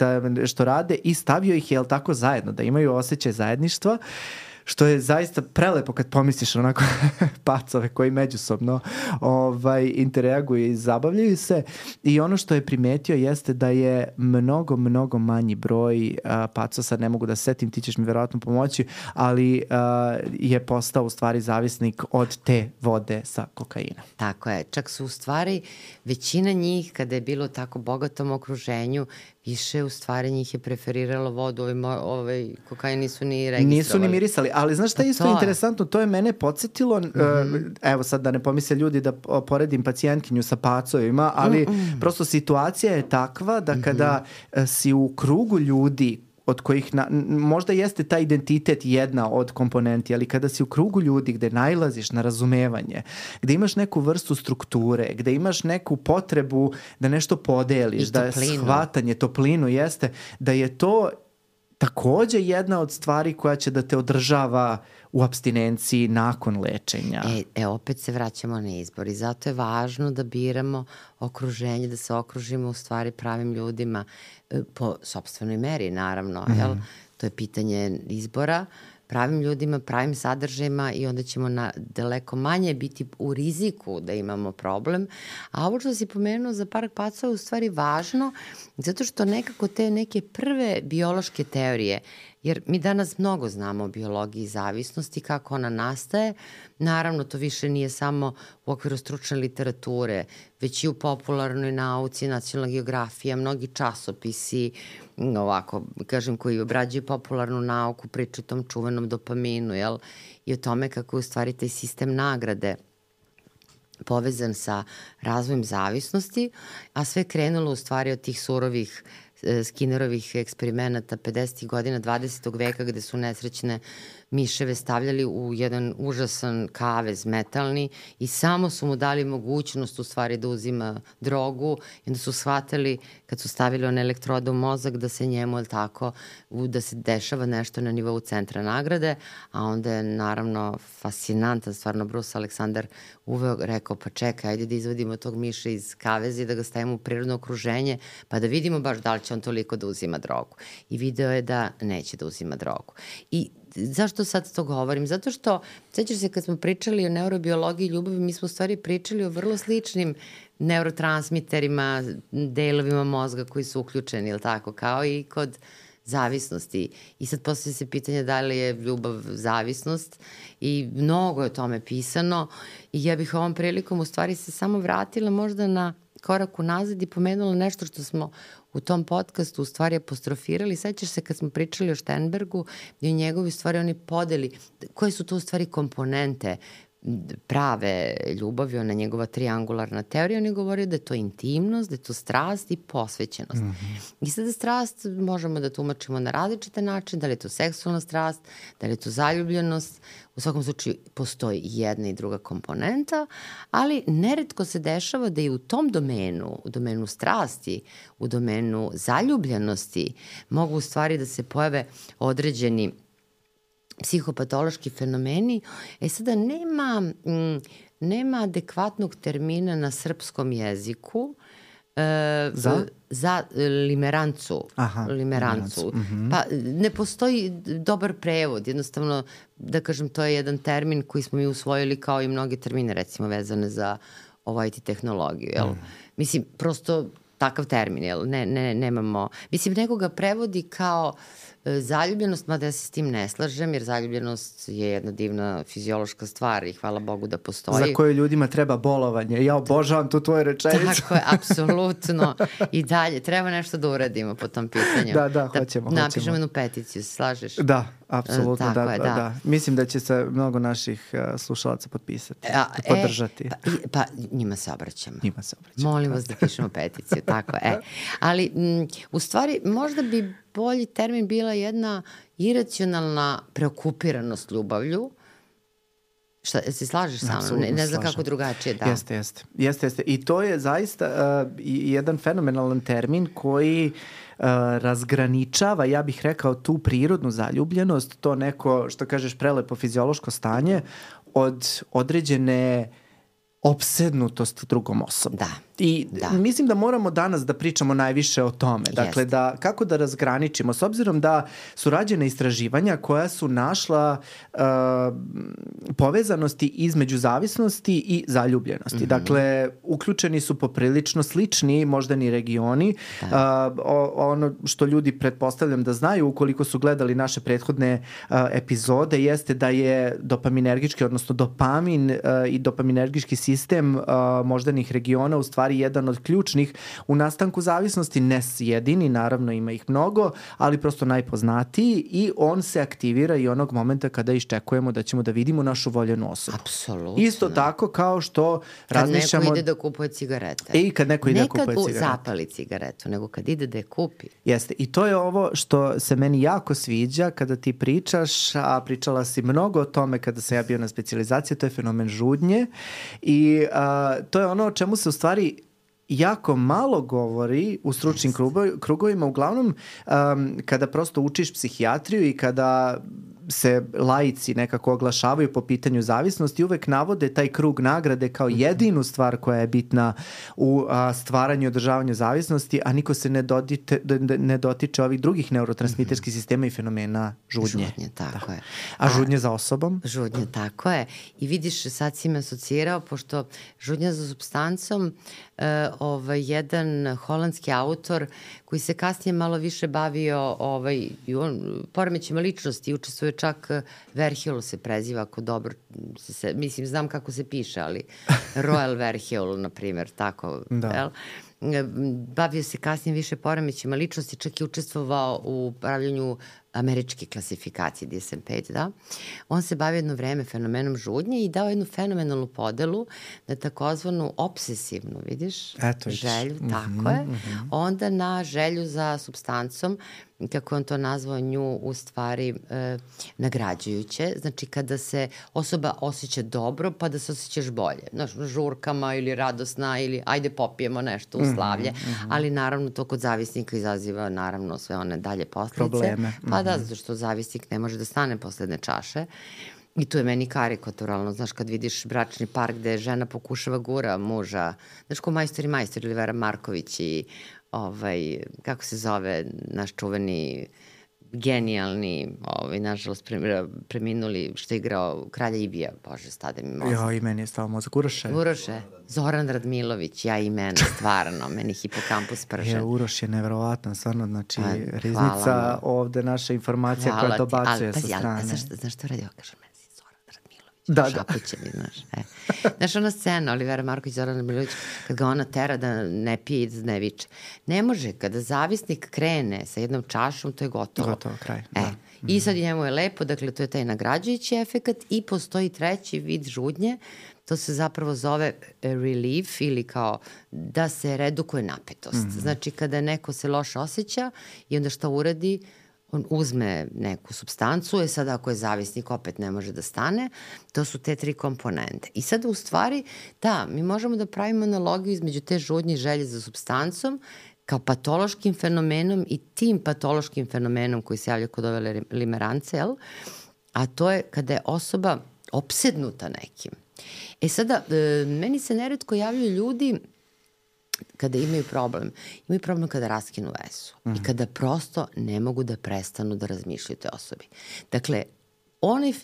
što rade i stavio ih, tako zajedno, da imaju osjećaj zajedništva, što je zaista prelepo kad pomisliš onako pacove koji međusobno interaguju i zabavljaju se. I ono što je primetio jeste da je mnogo manji broj pacova, sad ne mogu da se setim, ti ćeš mi verovatno pomoći, ali je postao u stvari zavisnik od te vode sa kokainom. Tako je, čak su u stvari većina njih kada je bilo tako bogatom okruženju više u stvari njih je preferiralo vodu, kokain nisu ni registrovali. Nisu ni mirisali, ali znaš šta je isto interesantno, to je mene podsjetilo, evo sad da ne pomisle ljudi da poredim pacijentkinju sa pacovima, ali prosto situacija je takva da kada si u krugu ljudi od kojih možda jeste taj identitet jedna od komponenti, ali kada si u krugu ljudi gde nailaziš na razumevanje, gde imaš neku vrstu strukture, gde imaš neku potrebu da nešto podeliš, da je shvatanje, toplinu jeste, da je to takođe jedna od stvari koja će da te održava u apstinenciji nakon lečenja. Opet se vraćamo na izbor i zato je važno da biramo okruženje, da se okružimo u stvari pravim ljudima po sopstvenoj meri, naravno. Jel? To je pitanje izbora, pravim ljudima, pravim sadržajima i onda ćemo daleko manje biti u riziku da imamo problem. A ovo što si pomenuo za Park pacova je u stvari važno zato što nekako te neke prve biološke teorije, jer mi danas mnogo znamo o biologiji zavisnosti, kako ona nastaje. Naravno, to više nije samo u okviru stručne literature, već i u popularnoj nauci, nacionalna geografija, mnogi časopisi, ovako, kažem, koji obrađuju popularnu nauku, pričaju o tom čuvenom dopaminu, jel? I o tome kako je u stvari taj sistem nagrade povezan sa razvojem zavisnosti, a sve krenulo u stvari od tih surovih Skinnerovih eksperimenata 50. godina 20. veka gde su nesrećne miševe stavljali u jedan užasan kavez metalni i samo su mu dali mogućnost u stvari da uzima drogu i onda su shvatili kad su stavili one elektrode u mozak da se njemu tako, da se dešava nešto na nivou centra nagrade, a onda je naravno fascinantan stvarno Bruce Alexander uveo, rekao pa čekaj, ajde da izvodimo tog miša iz kaveza i da ga stavimo u prirodno okruženje pa da vidimo baš da li će on toliko da uzima drogu. I video je da neće da uzima drogu. I zašto sad to govorim? Zato što, sećaš se kad smo pričali o neurobiologiji ljubavi, mi smo u stvari pričali o vrlo sličnim neurotransmiterima, delovima mozga koji su uključeni, ili tako, kao i kod zavisnosti. I sad postavlja se pitanje da li je ljubav zavisnost i mnogo je o tome pisano i ja bih ovom prilikom u stvari se samo vratila možda na korak unazad i pomenula nešto što smo u tom podcastu u stvari apostrofirali. Sećaš se kad smo pričali o Sternbergu i o njegovi stvari oni podeli, koje su to u stvari komponente prave ljubavi, ona njegova triangularna teorija, on je govorio da je to intimnost, da je to strast i posvećenost. I sada strast možemo da tumačimo na različite načine, da li je to seksualna strast, da li je to zaljubljenost, u svakom slučaju postoji jedna i druga komponenta, ali neretko se dešava da i u tom domenu, u domenu strasti, u domenu zaljubljenosti, mogu u stvari da se pojave određeni psihopatološki fenomeni. Sada nema adekvatnog termina na srpskom jeziku za limerancu. Limerancu. Pa ne postoji dobar prevod. Jednostavno, da kažem, to je jedan termin koji smo mi usvojili kao i mnoge termine, recimo, vezane za IT tehnologiju. Jel? Mislim, prosto takav termin, jel? Nemamo... Mislim, neko ga prevodi kao zaljubljenost, mada ja se s tim ne slažem, jer zaljubljenost je jedna divna fiziološka stvar i hvala Bogu da postoji. Za koje ljudima treba bolovanje. Ja obožavam tu tvoju rečenicu. Tako je, apsolutno. I dalje, treba nešto da uradimo po tom pitanju. Da, hoćemo. Napišemo jednu peticiju, se slažeš? Da, apsolutno, da. Mislim da će se mnogo naših slušalaca potpisati, podržati. Pa njima se obraćamo. Molim vas da pišemo peticiju, tako je. Ali, u stvari, možda bi bolji termin bila jedna iracionalna preokupiranost ljubavlju. Šta, se slažeš sa mnom? Ne znam kako drugačije da. Jeste. I to je zaista jedan fenomenalan termin koji razgraničava, ja bih rekao, tu prirodnu zaljubljenost, to neko, što kažeš, prelepo fiziološko stanje od određene opsednutosti drugom osobom. I mislim da moramo danas da pričamo najviše o tome. Dakle, kako da razgraničimo, s obzirom da su rađene istraživanja koja su našla povezanosti između zavisnosti i zaljubljenosti. Dakle, uključeni su poprilično slični moždani regioni. Ono što ljudi pretpostavljam da znaju ukoliko su gledali naše prethodne epizode jeste da je dopaminergički, odnosno dopamin i dopaminergički sistem sistem moždanih regiona u stvari jedan od ključnih u nastanku zavisnosti, ne jedini, naravno ima ih mnogo, ali prosto najpoznatiji i on se aktivira i onog momenta kada iščekujemo da ćemo da vidimo našu voljenu osobu. Apsolutno. Isto tako kao što razmišljamo... Kad neko ide da kupuje cigarete. I kad neko ide da kupuje cigarete. Ne kad zapali cigaretu, nego kad ide da je kupi. Jeste. I to je ovo što se meni jako sviđa kada ti pričaš, a pričala si mnogo o tome kada sam ja bio na specijalizaciji, to je fenomen žudnje i to je ono o čemu se u stvari jako malo govori u stručnim krugovima, uglavnom kada prosto učiš psihijatriju i kada se laici nekako oglašavaju po pitanju zavisnosti, uvek navode taj krug nagrade kao jedinu stvar koja je bitna u stvaranju i održavanju zavisnosti, a niko se ne dotiče ovih drugih neurotransmiterskih sistema i fenomena žudnje. Žudnje, tako je. A žudnje za osobom? Žudnje, tako je. I vidiš, sad si me asocirao, pošto žudnja za supstancom, jedan holandski autor koji se kasnije malo više bavio poremećima ličnosti i učestvuje čak Verheul se preziva, ako dobro mislim, znam kako se piše, ali Royal Verheul, na primjer, tako, da. Bavio se kasnije više poremećima ličnosti, čak i učestvovao u pravljenju američke klasifikacije DSM-5, da. On se bavio jedno vreme fenomenom žudnje i dao jednu fenomenalnu podelu na takozvanu obsesivnu, vidiš, želju, tako je, onda na želju za supstancom, kako on to nazvao, nju u stvari nagrađujuće, znači kada se osoba osjeća dobro pa da se osjećaš bolje, znaš, žurkama ili radosna ili ajde popijemo nešto u slavlje, ali naravno to kod zavisnika izaziva naravno sve one dalje posljedice. Probleme. Pa da, zato što zavisnik ne može da stane posle jedne čaše. I tu je meni karikaturalno, znaš, kad vidiš bračni par gde žena pokušava gura muža, znaš, ko Majstor i Majstor ili Vera Marković i kako se zove naš čuveni genijalni, nažalost preminuli, što je igrao Kralja Ibija, bože, stade mi mozak. Jo, i meni je stao mozak. Uroše. Zoran Radmilović, ja i mene, stvarno, meni hipokampus prže. Uroš je nevjerovatan, stvarno, znači, riznica ovde naša informacija koja dobacuje sa strane. Znaš što radio? Kažem, meni si Zoran Radmilović. Da. Šapuće mi, znaš. Znaš, ona scena, Olivera Marković, Zoran Radmilović, kad ga ona tera da ne pije i da ne viče. Ne može, kada zavisnik krene sa jednom čašom, to je gotovo. Gotovo, kraj. I sad njemu je lepo, dakle, to je taj nagrađujući efekat i postoji treći vid žudnje, to se zapravo zove relief ili kao da se redukuje napetost. Znači, kada neko se loše osjeća i onda šta uradi, on uzme neku supstancu, sad ako je zavisnik opet ne može da stane, to su te 3 komponente. I sad u stvari, da, mi možemo da pravimo analogiju između te žudnje i želje za supstancom kao patološkim fenomenom i tim patološkim fenomenom koji se javlja kod ove limerance, a to je kada je osoba opsednuta nekim. Sada, meni se neretko javljaju ljudi kada imaju problem kada raskinu vezu i kada prosto ne mogu da prestanu da razmišljaju o toj osobi. Dakle,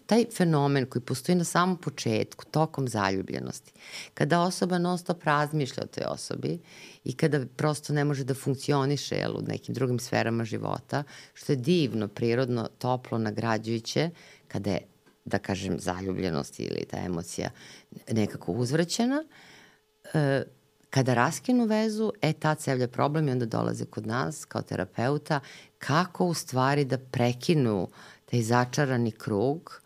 taj fenomen koji postoji na samom početku, tokom zaljubljenosti, kada osoba non stop razmišlja o toj osobi i kada prosto ne može da funkcioniše u nekim drugim sferama života, što je divno, prirodno, toplo, nagrađujuće, kada je, da kažem, zaljubljenost ili ta emocija nekako uzvraćena, kada raskinu vezu, tad se javlja problem i onda dolaze kod nas kao terapeuta kako u stvari da prekinu taj začarani krug,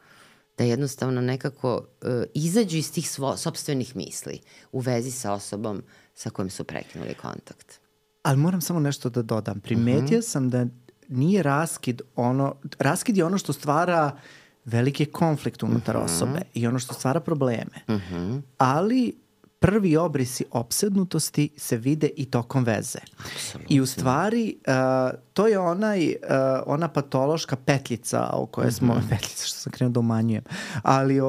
da jednostavno nekako izađu iz tih sopstvenih misli u vezi sa osobom sa kojom su prekinuli kontakt. Ali moram samo nešto da dodam. Primetio sam da nije raskid je ono što stvara veliki konflikt unutar osobe i ono što stvara probleme. Ali prvi obrisi opsednutosti se vide i tokom veze. Absolutno. I u stvari to je ona patološka petljica o kojoj smo, petljica što sam krenuo da umanjujem, ali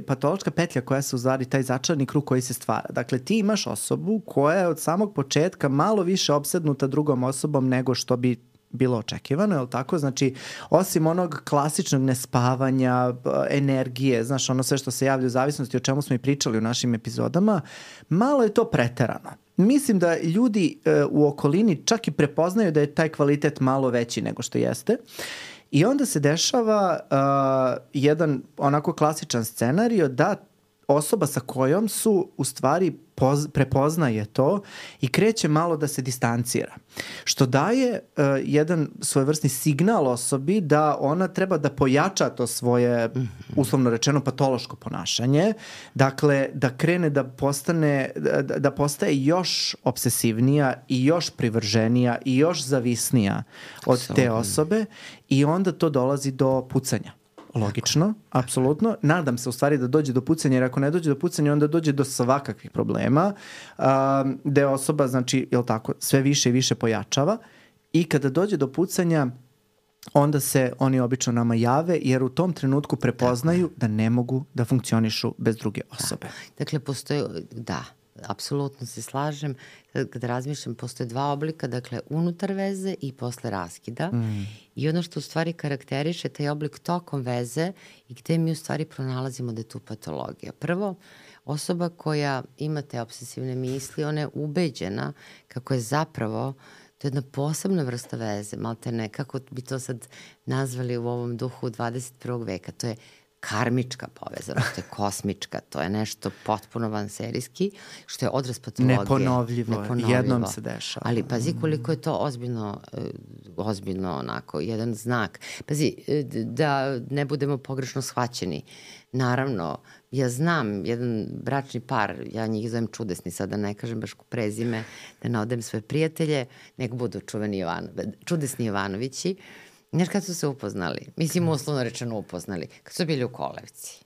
patološka petlja koja se u stvari taj začarani krug koji se stvara. Dakle, ti imaš osobu koja je od samog početka malo više opsednuta drugom osobom nego što bi bilo očekivano, je li tako? Znači, osim onog klasičnog nespavanja, energije, znaš, ono sve što se javlja u zavisnosti, o čemu smo i pričali u našim epizodama, malo je to preterano. Mislim da ljudi u okolini čak i prepoznaju da je taj kvalitet malo veći nego što jeste. I onda se dešava jedan onako klasičan scenario da osoba sa kojom su u stvari prepoznaje to i kreće malo da se distancira. Što daje jedan svojevrsni signal osobi da ona treba da pojača to svoje, uslovno rečeno, patološko ponašanje. Dakle, da krene da postaje još obsesivnija i još privrženija i još zavisnija od te osobe i onda to dolazi do pucanja. Logično, apsolutno. Nadam se u stvari da dođe do pucanja, jer ako ne dođe do pucanja, onda dođe do svakakvih problema, gde osoba, znači, jel tako, sve više i više pojačava i kada dođe do pucanja, onda se oni obično nama jave, jer u tom trenutku prepoznaju da ne mogu da funkcionišu bez druge osobe. Dakle, postoje, apsolutno se slažem. Kada razmišljam, postoje dva oblika, dakle, unutar veze i posle raskida. I ono što u stvari karakteriše taj oblik tokom veze i gde mi u stvari pronalazimo da je tu patologija. Prvo, osoba koja ima te obsesivne misli, ona je ubeđena kako je zapravo to je jedna posebna vrsta veze, malte ne, kako bi to sad nazvali u ovom duhu 21. veka. To je karmička povezanost, to je kosmička, to je nešto potpuno vanserijski, što je odraz patologije. Neponovljivo. Jednom se dešava. Ali pazi koliko je to ozbiljno onako, jedan znak. Pazi, da ne budemo pogrešno shvaćeni. Naravno, ja znam jedan bračni par, ja njih zovem čudesni, sad da ne kažem baš prezime, da ne odem svoje prijatelje, nek budu čudesni Jovanovići. Znaš kad su se upoznali? Mislim, uslovno rečeno upoznali. Kad su bili u Kolevci.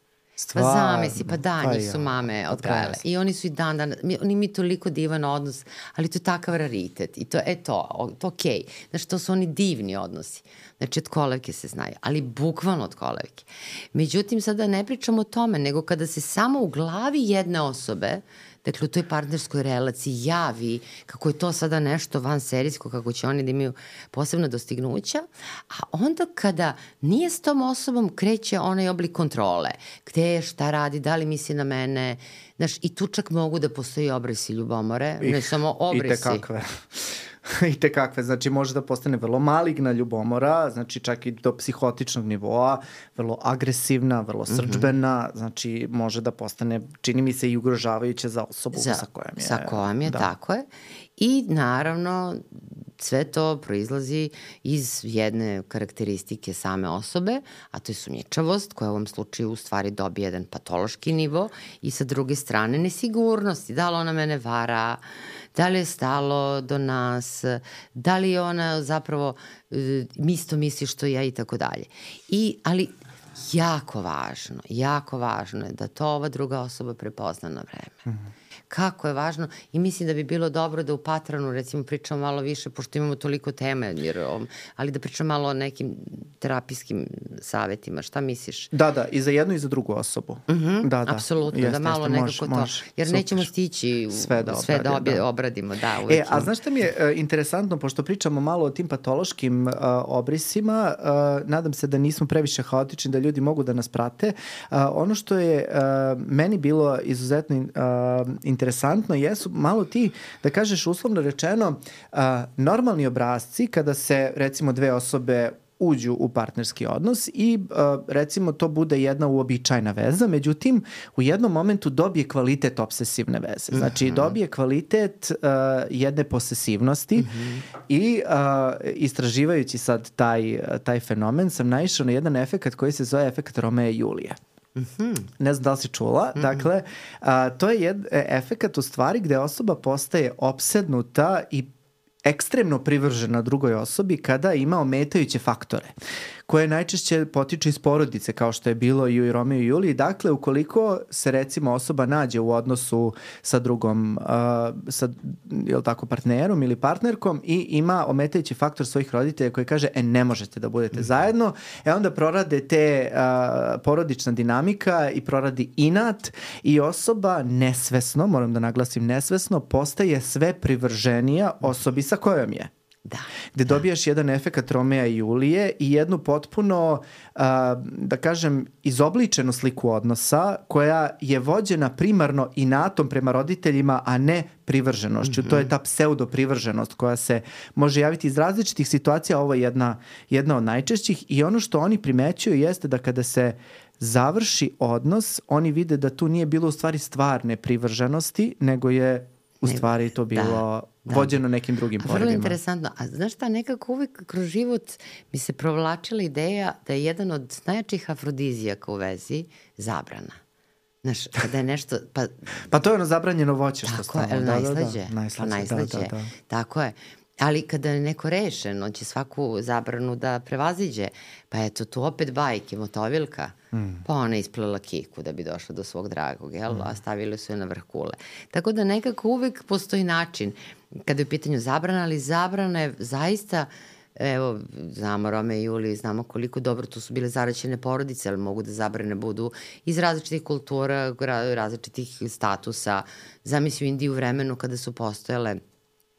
Pa zamisli, pa da, njih su mame odgajale. I oni su i dan, oni imaju toliko divan odnos, ali to je takav raritet. I to je to okej. Znači, to su oni divni odnosi. Znači, od kolevke se znaju, ali bukvalno od kolevke. Međutim, sada ne pričamo o tome, nego kada se samo u glavi jedne osobe, dakle, u toj partnerskoj relaciji javi kako je to sada nešto vanserijsko, kako će oni da imaju posebna dostignuća, a onda kada nije s tom osobom kreće onaj oblik kontrole. Gde je, šta radi, da li misli na mene, znaš, i tu čak mogu da postoji obrisi ljubomore, ne samo obrisi. I te kakve, znači može da postane vrlo maligna ljubomora, znači čak i do psihotičnog nivoa, vrlo agresivna, vrlo srdžbena, znači može da postane, čini mi se, i ugrožavajuće za osobu sa kojom je. Tako je. I naravno sve to proizlazi iz jedne karakteristike same osobe, a to je sumnjičavost, koja u ovom slučaju u stvari dobije jedan patološki nivo i sa druge strane nesigurnosti, da li ona mene vara, da li je stalo do nas, da li je ona zapravo isto misli što ja i tako dalje. Ali jako važno je da to ova druga osoba prepozna na vreme. Kako je važno i mislim da bi bilo dobro da u Patronu recimo pričamo malo više, pošto imamo toliko teme, ali da pričamo malo o nekim terapijskim savetima. Šta misliš? Da, i za jednu i za drugu osobu. Apsolutno, da malo nekako to. Jer nećemo stići sve da obradimo. A znaš šta mi je interesantno, pošto pričamo malo o tim patološkim obrisima, nadam se da nismo previše haotični, da ljudi mogu da nas prate. Ono što je meni bilo izuzetno interesantno jesu malo ti, da kažeš uslovno rečeno, normalni obrasci kada se recimo dve osobe uđu u partnerski odnos i recimo to bude jedna uobičajna veza, međutim u jednom momentu dobije kvalitet obsesivne veze. Znači dobije kvalitet jedne posesivnosti i istraživajući sad taj fenomen sam naišao na jedan efekat koji se zove efekat Romea i Julije. Ne znam da li si čula. Dakle, to je efekat u stvari gde osoba postaje opsednuta i ekstremno privržena drugoj osobi kada ima ometajuće faktore koje najčešće potiču iz porodice, kao što je bilo i u Romeo i Juliji. Dakle, ukoliko se recimo osoba nađe u odnosu sa drugom, partnerom ili partnerkom i ima ometajući faktor svojih roditelja koji kaže, ne možete da budete zajedno, onda prorade te porodična dinamika i proradi inat i osoba nesvesno, moram da naglasim nesvesno, postaje sve privrženija osobi sa kojom je. gde dobijaš jedan efekat Romeja i Julije i jednu potpuno, da kažem, izobličenu sliku odnosa koja je vođena primarno inatom prema roditeljima, a ne privrženošću. To je ta pseudo-privrženost koja se može javiti iz različitih situacija. Ovo je jedna od najčešćih i ono što oni primećuju jeste da kada se završi odnos, oni vide da tu nije bilo u stvari stvarne privrženosti, nego je u stvari to bilo vođeno nekim drugim porivima. Vrlo interesantno. A znaš šta, nekako uvijek kroz život mi se provlačila ideja da je jedan od najjačih afrodizijaka u vezi zabrana. Znaš, kada je nešto... Pa to je ono zabranjeno voće što stavamo. Tako je, najslađe. Tako je. Ali kada je neko rešen, on će svaku zabranu da prevaziđe. Pa eto, tu opet bajke, motovilka. Pa ona isplela kiku da bi došla do svog dragog, jel? A stavili su je na vrh kule. Tako da nekako uvek postoji način kada je u pitanju zabrana, ali zabrana je zaista, evo, znamo Rome i Juliju, znamo koliko dobro tu su bile zaraćene porodice, ali mogu da zabrane budu iz različitih kultura, različitih statusa. Zamisli u Indiji u vremenu kada su postojale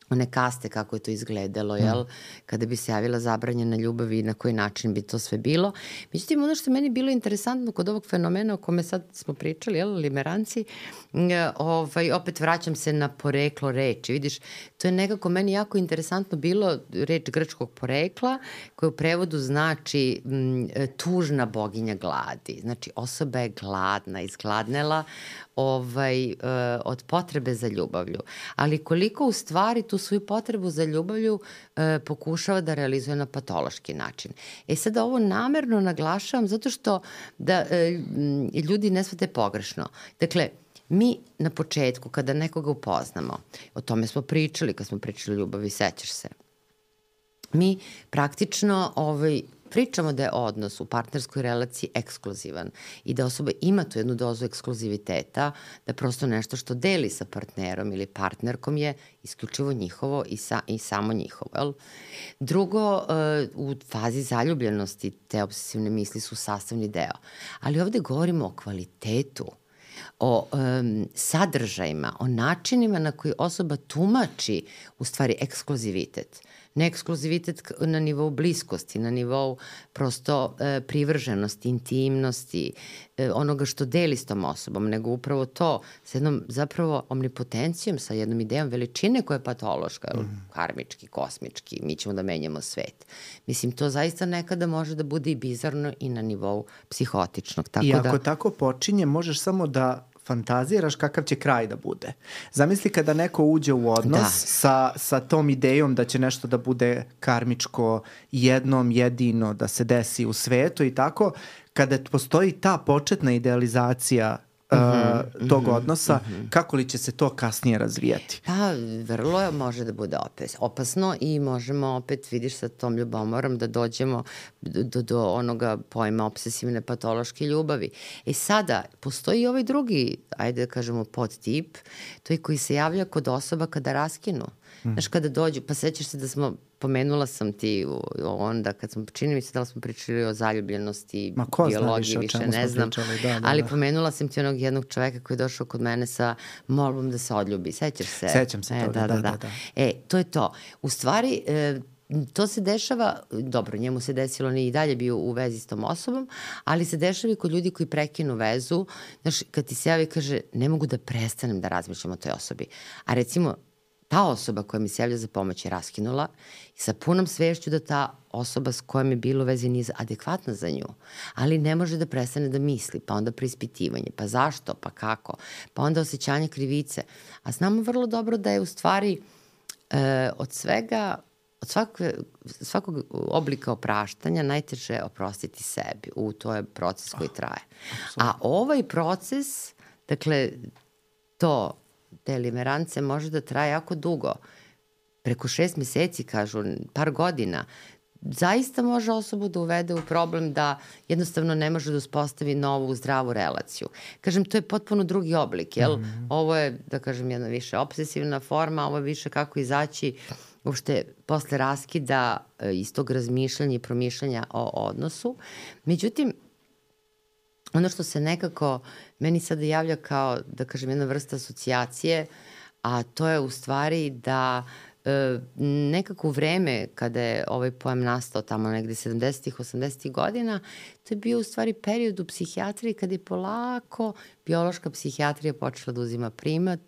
one kaste, kako je to izgledalo, jel? Kada bi se javila zabranjena ljubav i na koji način bi to sve bilo. Međutim, ono što meni bilo interesantno kod ovog fenomena o kome sad smo pričali, jel, limeranci, opet vraćam se na poreklo reči. Vidiš, to je nekako meni jako interesantno bilo, reč grčkog porekla, koja u prevodu znači tužna boginja gladi. Znači, osoba je gladna, izgladnela od potrebe za ljubavlju. Ali koliko u stvari tu svoju potrebu za ljubavlju pokušava da realizuje na patološki način. Sada ovo namerno naglašavam zato što da ljudi ne shvate pogrešno. Dakle, mi na početku kada nekoga upoznamo, o tome smo pričali kad smo pričali o ljubavi, sećaš se, mi praktično pričamo da je odnos u partnerskoj relaciji ekskluzivan i da osoba ima tu jednu dozu ekskluziviteta, da prosto nešto što deli sa partnerom ili partnerkom je isključivo njihovo i samo njihovo. Jel? Drugo, u fazi zaljubljenosti te obsesivne misli su sastavni deo. Ali ovde govorimo o kvalitetu, o sadržajima, o načinima na koji osoba tumači u stvari ekskluzivitet. Ne ekskluzivitet na nivou bliskosti, na nivou prosto privrženosti, intimnosti, onoga što deli s tom osobom, nego upravo to sa jednom zapravo omnipotencijom, sa jednom idejom veličine koja je patološka, karmički, kosmički, mi ćemo da menjamo svet. Mislim, to zaista nekada može da bude i bizarno i na nivou psihotičnog. I ako tako počinje, možeš samo da fantaziraš kakav će kraj da bude. Zamisli kada neko uđe u odnos sa tom idejom da će nešto da bude karmičko, jednom, jedino, da se desi u svetu i tako, kada postoji ta početna idealizacija tog odnosa, kako li će se to kasnije razvijati? Pa, vrlo može da bude opasno i možemo opet, vidiš, sa tom ljubomorom da dođemo do onoga pojma obsesivne patološke ljubavi. Sada, postoji i ovaj drugi, ajde da kažemo, podtip, to je koji se javlja kod osoba kada raskinu. Znaš, kada dođu, pa sećaš se da pomenula sam ti onda kad smo, čini mi se da li smo pričali o zaljubljenosti, biologiji, više ne znam, ali pomenula sam ti onog jednog čoveka koji je došao kod mene sa molbom da se odljubi, sećaš se? Sećam se toga, da. To je to. U stvari, to se dešava, dobro, njemu se desilo, nije i dalje bio u vezi s tom osobom, ali se dešava i kod ljudi koji prekinu vezu, znaš, kad ti se javi i kaže, ne mogu da prestanem da razmišljam o toj osobi. A recimo, ta osoba koja mi se javlja za pomoć je raskinula i sa punom svešću da ta osoba s kojom je bilo veze nije adekvatna za nju, ali ne može da prestane da misli, pa onda preispitivanje, pa zašto, pa kako, pa onda osjećanje krivice. A znamo vrlo dobro da je u stvari od svakog oblika opraštanja najteže oprostiti sebi. To je proces koji traje. A ovaj proces, dakle, te limerance može da traje jako dugo. Preko 6 meseci, kažu, par godina. Zaista može osobu da uvede u problem da jednostavno ne može da uspostavi novu zdravu relaciju. Kažem, to je potpuno drugi oblik, jel? Ovo je, da kažem, jedna više obsesivna forma, ovo je više kako izaći uopšte posle raskida iz tog razmišljanja i promišljanja o odnosu. Međutim, ono što se nekako meni sada javlja kao, da kažem, jedna vrsta asocijacije, a to je u stvari da nekako vreme kada je ovaj pojam nastao tamo negde 70-ih, 80-ih godina, to je bio u stvari period u psihijatriji kada je polako biološka psihijatrija počela da uzima primat.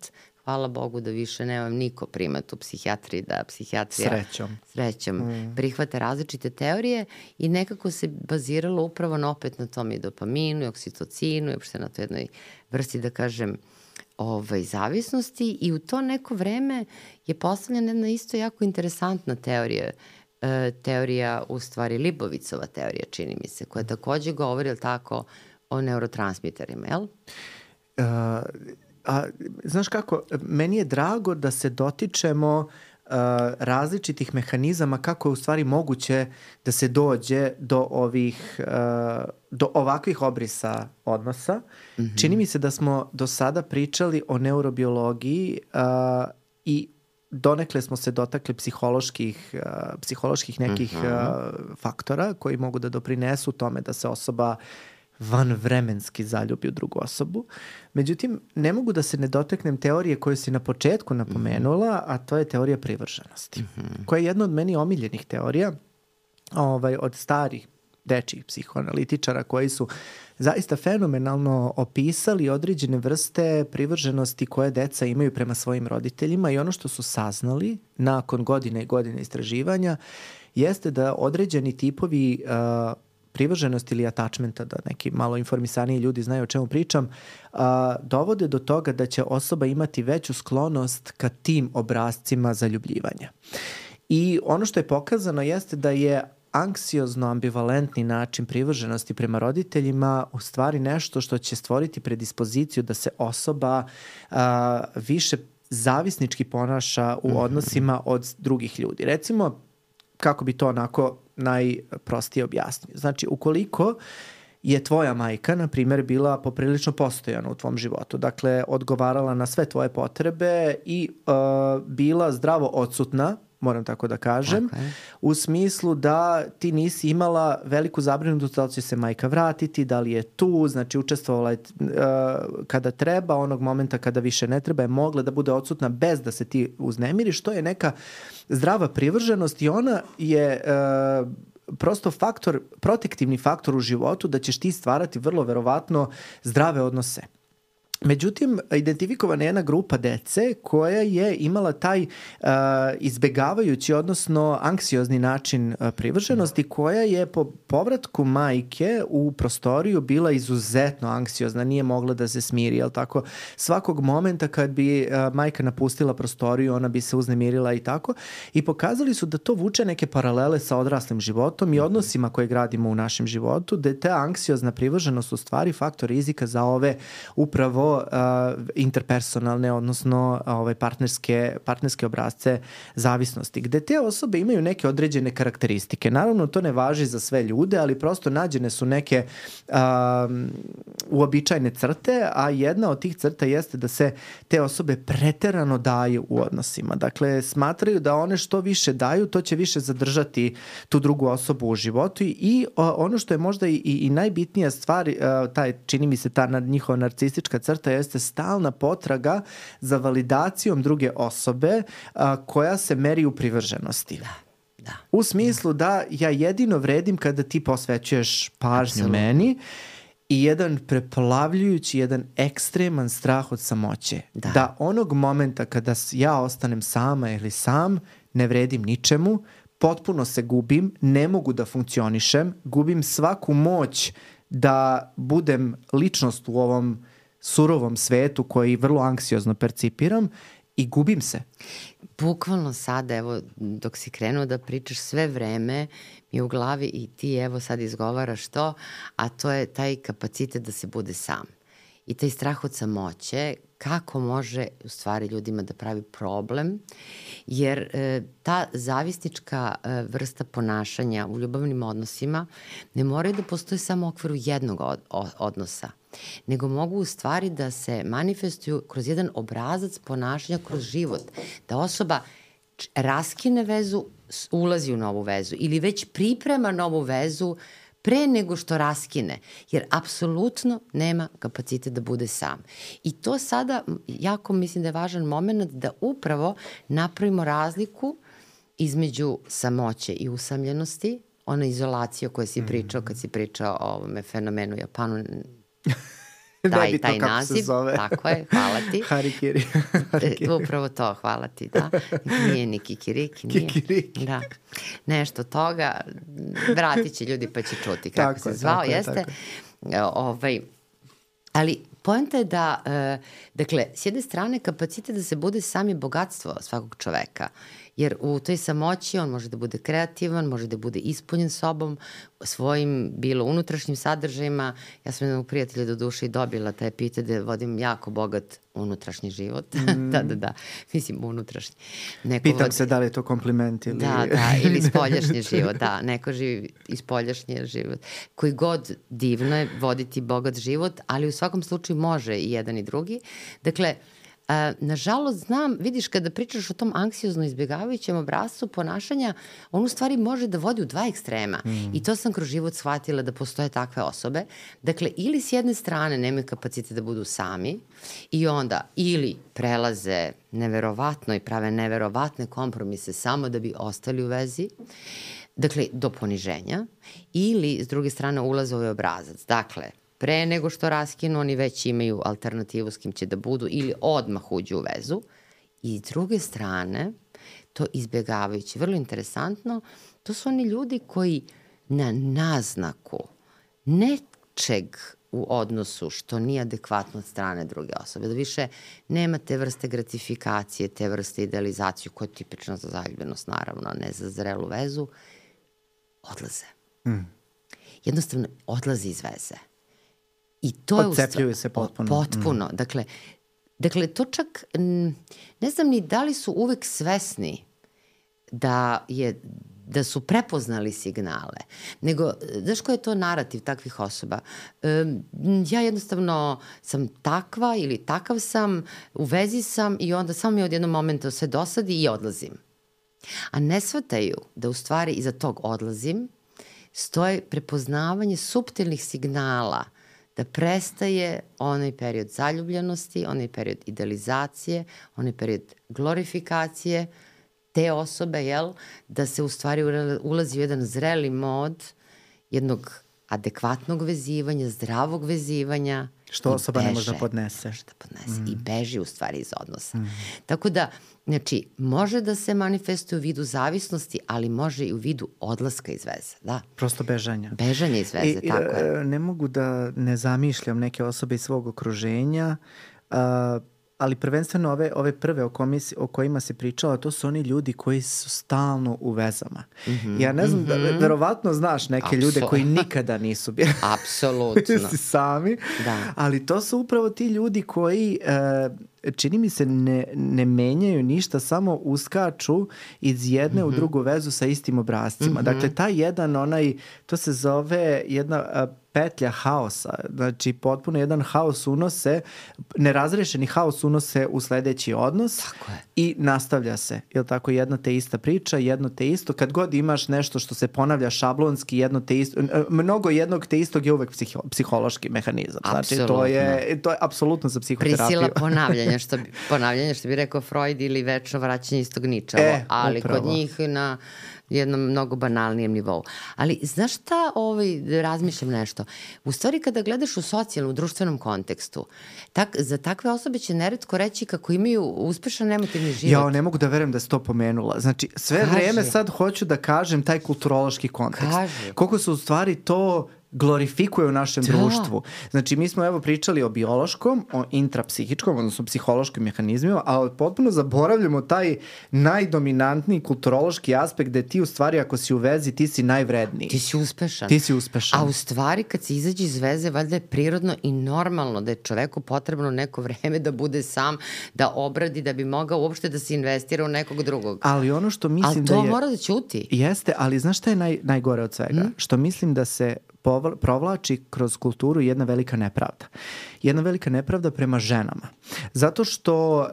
Hvala Bogu da više nemam niko primat u psihijatriji, da psihijatrija srećom prihvata različite teorije i nekako se baziralo upravo opet na tom i dopaminu i oksitocinu i uopšte na toj jednoj vrsti, da kažem, zavisnosti i u to neko vreme je postavljena jedna isto jako interesantna teorija u stvari Libovicova teorija, čini mi se, koja takođe govori, ali tako, o neurotransmiterima, jel? Znaš kako, meni je drago da se dotičemo različitih mehanizama kako je u stvari moguće da se dođe do ovakvih obrisa odnosa. Čini mi se da smo do sada pričali o neurobiologiji i donekle smo se dotakli psiholoških nekih faktora koji mogu da doprinesu tome da se osoba vanvremenski zaljubi u drugu osobu. Međutim, ne mogu da se ne dotaknem teorije koju si na početku napomenula, a to je teorija privrženosti, koja je jedna od meni omiljenih teorija od starih dečjih psihoanalitičara koji su zaista fenomenalno opisali određene vrste privrženosti koje deca imaju prema svojim roditeljima i ono što su saznali nakon godine i godine istraživanja jeste da određeni tipovi privrženosti ili attachmenta, da neki malo informisaniji ljudi znaju o čemu pričam, dovode do toga da će osoba imati veću sklonost ka tim obrascima zaljubljivanja. I ono što je pokazano jeste da je anksiozno-ambivalentni način privrženosti prema roditeljima u stvari nešto što će stvoriti predispoziciju da se osoba više zavisnički ponaša u odnosima od drugih ljudi. Recimo, kako bi to onako najprostije objasnio. Znači, ukoliko je tvoja majka, na primjer, bila poprilično postojana u tvom životu, dakle, odgovarala na sve tvoje potrebe i bila zdravo odsutna, moram tako da kažem, u smislu da ti nisi imala veliku zabrinutost da li će se majka vratiti, da li je tu, znači učestvovala je kada treba, onog momenta kada više ne treba je mogla da bude odsutna bez da se ti uznemiriš, to je neka zdrava privrženost i ona je prosto protektivni faktor u životu da ćeš ti stvarati vrlo verovatno zdrave odnose. Međutim, identifikovana je jedna grupa dece koja je imala taj izbegavajući, odnosno anksiozni način privrženosti, koja je po povratku majke u prostoriju bila izuzetno anksiozna, nije mogla da se smiri, jel tako? Svakog momenta kad bi majka napustila prostoriju, ona bi se uznemirila i tako. I pokazali su da to vuče neke paralele sa odraslim životom i odnosima koje gradimo u našem životu, da je ta anksiozna privrženost u stvari faktor rizika za ove upravo interpersonalne, odnosno partnerske obrazce zavisnosti, gde te osobe imaju neke određene karakteristike. Naravno, to ne važi za sve ljude, ali prosto nađene su neke uobičajene crte, a jedna od tih crta jeste da se te osobe preterano daju u odnosima. Dakle, smatraju da one što više daju, to će više zadržati tu drugu osobu u životu i ono što je možda i najbitnija stvar, čini mi se ta njihova narcistička crta jeste stalna potraga za validacijom druge osobe koja se meri u privrženosti. Da. U smislu da ja jedino vredim kada ti posvećuješ pažnju meni i jedan preplavljujući, jedan ekstreman strah od samoće. Da onog momenta kada ja ostanem sama ili sam, ne vredim ničemu, potpuno se gubim, ne mogu da funkcionišem, gubim svaku moć da budem ličnost u ovom surovom svetu koji vrlo anksiozno percipiram i gubim se. Bukvalno sada, evo, dok si krenuo da pričaš sve vreme, mi je u glavi i ti evo sad izgovaraš to, a to je taj kapacitet da se bude sam. I taj strah od samoće, kako može u stvari ljudima da pravi problem, jer ta zavisnička vrsta ponašanja u ljubavnim odnosima ne moraju da postoje samo u okviru jednog odnosa, nego mogu u stvari da se manifestuju kroz jedan obrazac ponašanja kroz život. Da osoba raskine vezu, ulazi u novu vezu ili već priprema novu vezu pre nego što raskine, jer apsolutno nema kapacitet da bude sam. I to sada jako mislim da je važan moment da upravo napravimo razliku između samoće i usamljenosti, ona izolacija o kojoj si pričao kad si pričao o ovome fenomenu u Japanu, taj naziv, tako je, hvala ti. Harikiri. Upravo to, hvala ti, da. Nije ni kikiriki, nije. Kikiriki. Da. Nešto toga, vratit će ljudi pa će čuti kako se zvao, jeste. Ali poenta je da, dakle, s jedne strane kapacitet da se bude sam je bogatstvo svakog čoveka, jer u toj samoći on može da bude kreativan, može da bude ispunjen sobom, svojim bilo unutrašnjim sadržajima. Ja sam jednog prijatelja do duše i dobila taj epitet da vodim jako bogat unutrašnji život. Da. Mislim, unutrašnji. Pitam se da li je to kompliment ili... Da, ili spoljašnji život, da. Neko živi i spoljašnji život. Koji god divno je voditi bogat život, ali u svakom slučaju može i jedan i drugi. Dakle, nažalost znam, vidiš kada pričaš o tom anksiozno izbjegavajućem obrascu ponašanja, on u stvari može da vodi u dva ekstrema. I to sam kroz život shvatila da postoje takve osobe. Dakle, ili s jedne strane nemaju kapacitet da budu sami i onda ili prelaze neverovatno i prave neverovatne kompromise samo da bi ostali u vezi, dakle, do poniženja, ili s druge strane ulaze u ovaj obrazac. Dakle, pre nego što raskinu, oni već imaju alternativu s kim će da budu ili odmah uđu u vezu. I s druge strane, to izbjegavajući, vrlo interesantno, to su oni ljudi koji na naznaku nečeg u odnosu što nije adekvatno od strane druge osobe, da više nema te vrste gratifikacije, te vrste idealizaciju koja je tipična za zaljubljenost, naravno, a ne za zrelu vezu, odlaze. Jednostavno, odlaze iz veze. I to odcepljuju se potpuno. Potpuno. Dakle, to čak, ne znam ni da li su uvek svesni da su prepoznali signale. Nego, znaš koji je to narativ takvih osoba? Ja jednostavno sam takva ili takav sam, u vezi sam i onda samo mi od jednog momenta sve dosadi i odlazim. A ne shvataju da u stvari iza tog odlazim stoje prepoznavanje suptilnih signala da prestaje onaj period zaljubljenosti, onaj period idealizacije, onaj period glorifikacije te osobe, da se u stvari ulazi u jedan zreli mod jednog adekvatnog vezivanja, zdravog vezivanja. Što osoba ne može da podnese. I beži u stvari iz odnosa. Tako da, znači, može da se manifestuje u vidu zavisnosti, ali može i u vidu odlaska iz veze, da. Prosto bežanja. Bežanje iz veze, tako je. Ne mogu da ne zamišljam neke osobe iz svog okruženja, ali prvenstveno ove prve o kojima se pričala, to su oni ljudi koji su stalno u vezama. Ja ne znam, verovatno znaš neke ljude koji nikada nisu bili sami, ali to su upravo ti ljudi koji, čini mi se, ne menjaju ništa, samo uskaču iz jedne u drugu vezu sa istim obrascima. Dakle, taj jedan, to se zove jedna petlja haosa. Znači, potpuno jedan haos unose, nerazrešeni haos unose u sledeći odnos i nastavlja se. Jel tako, jedna te ista priča, jedno te isto. Kad god imaš nešto što se ponavlja šablonski, jedno te isto, mnogo jednog te istog je uvek psihološki mehanizam. Znači, to je apsolutno za psihoterapiju. Prisila ponavljanja, što bi rekao Freud, ili večno vraćanje istog ničavo, ali upravo. Kod njih na jednom mnogo banalnijem nivou. Ali znaš šta, razmišljam nešto. U stvari kada gledaš u socijalnom, društvenom kontekstu, za takve osobe će neretko reći kako imaju uspešan emotivni život. Ja ne mogu da verujem da si to pomenula. Znači, sve vreme sad hoću da kažem taj kulturološki kontekst. Koliko su u stvari to glorifikuje u našem društvu. Znači, mi smo evo pričali o biološkom, o intrapsihičkom, odnosno psihološkim mehanizmima, ali potpuno zaboravljamo taj najdominantniji kulturološki aspekt gde ti u stvari ako si u vezi, ti si najvredniji. Ti si uspešan. A u stvari kad se izađe iz veze, valjda je prirodno i normalno da je čoveku potrebno neko vreme da bude sam, da obradi, da bi mogao uopšte da se investira u nekog drugog. Ali ono što mislim da je... Ali to mora da ćuti. Jeste, ali znaš šta je najgore od svega? Što mislim da se provlači kroz kulturu jedna velika nepravda. jedna velika nepravda prema ženama. Zato što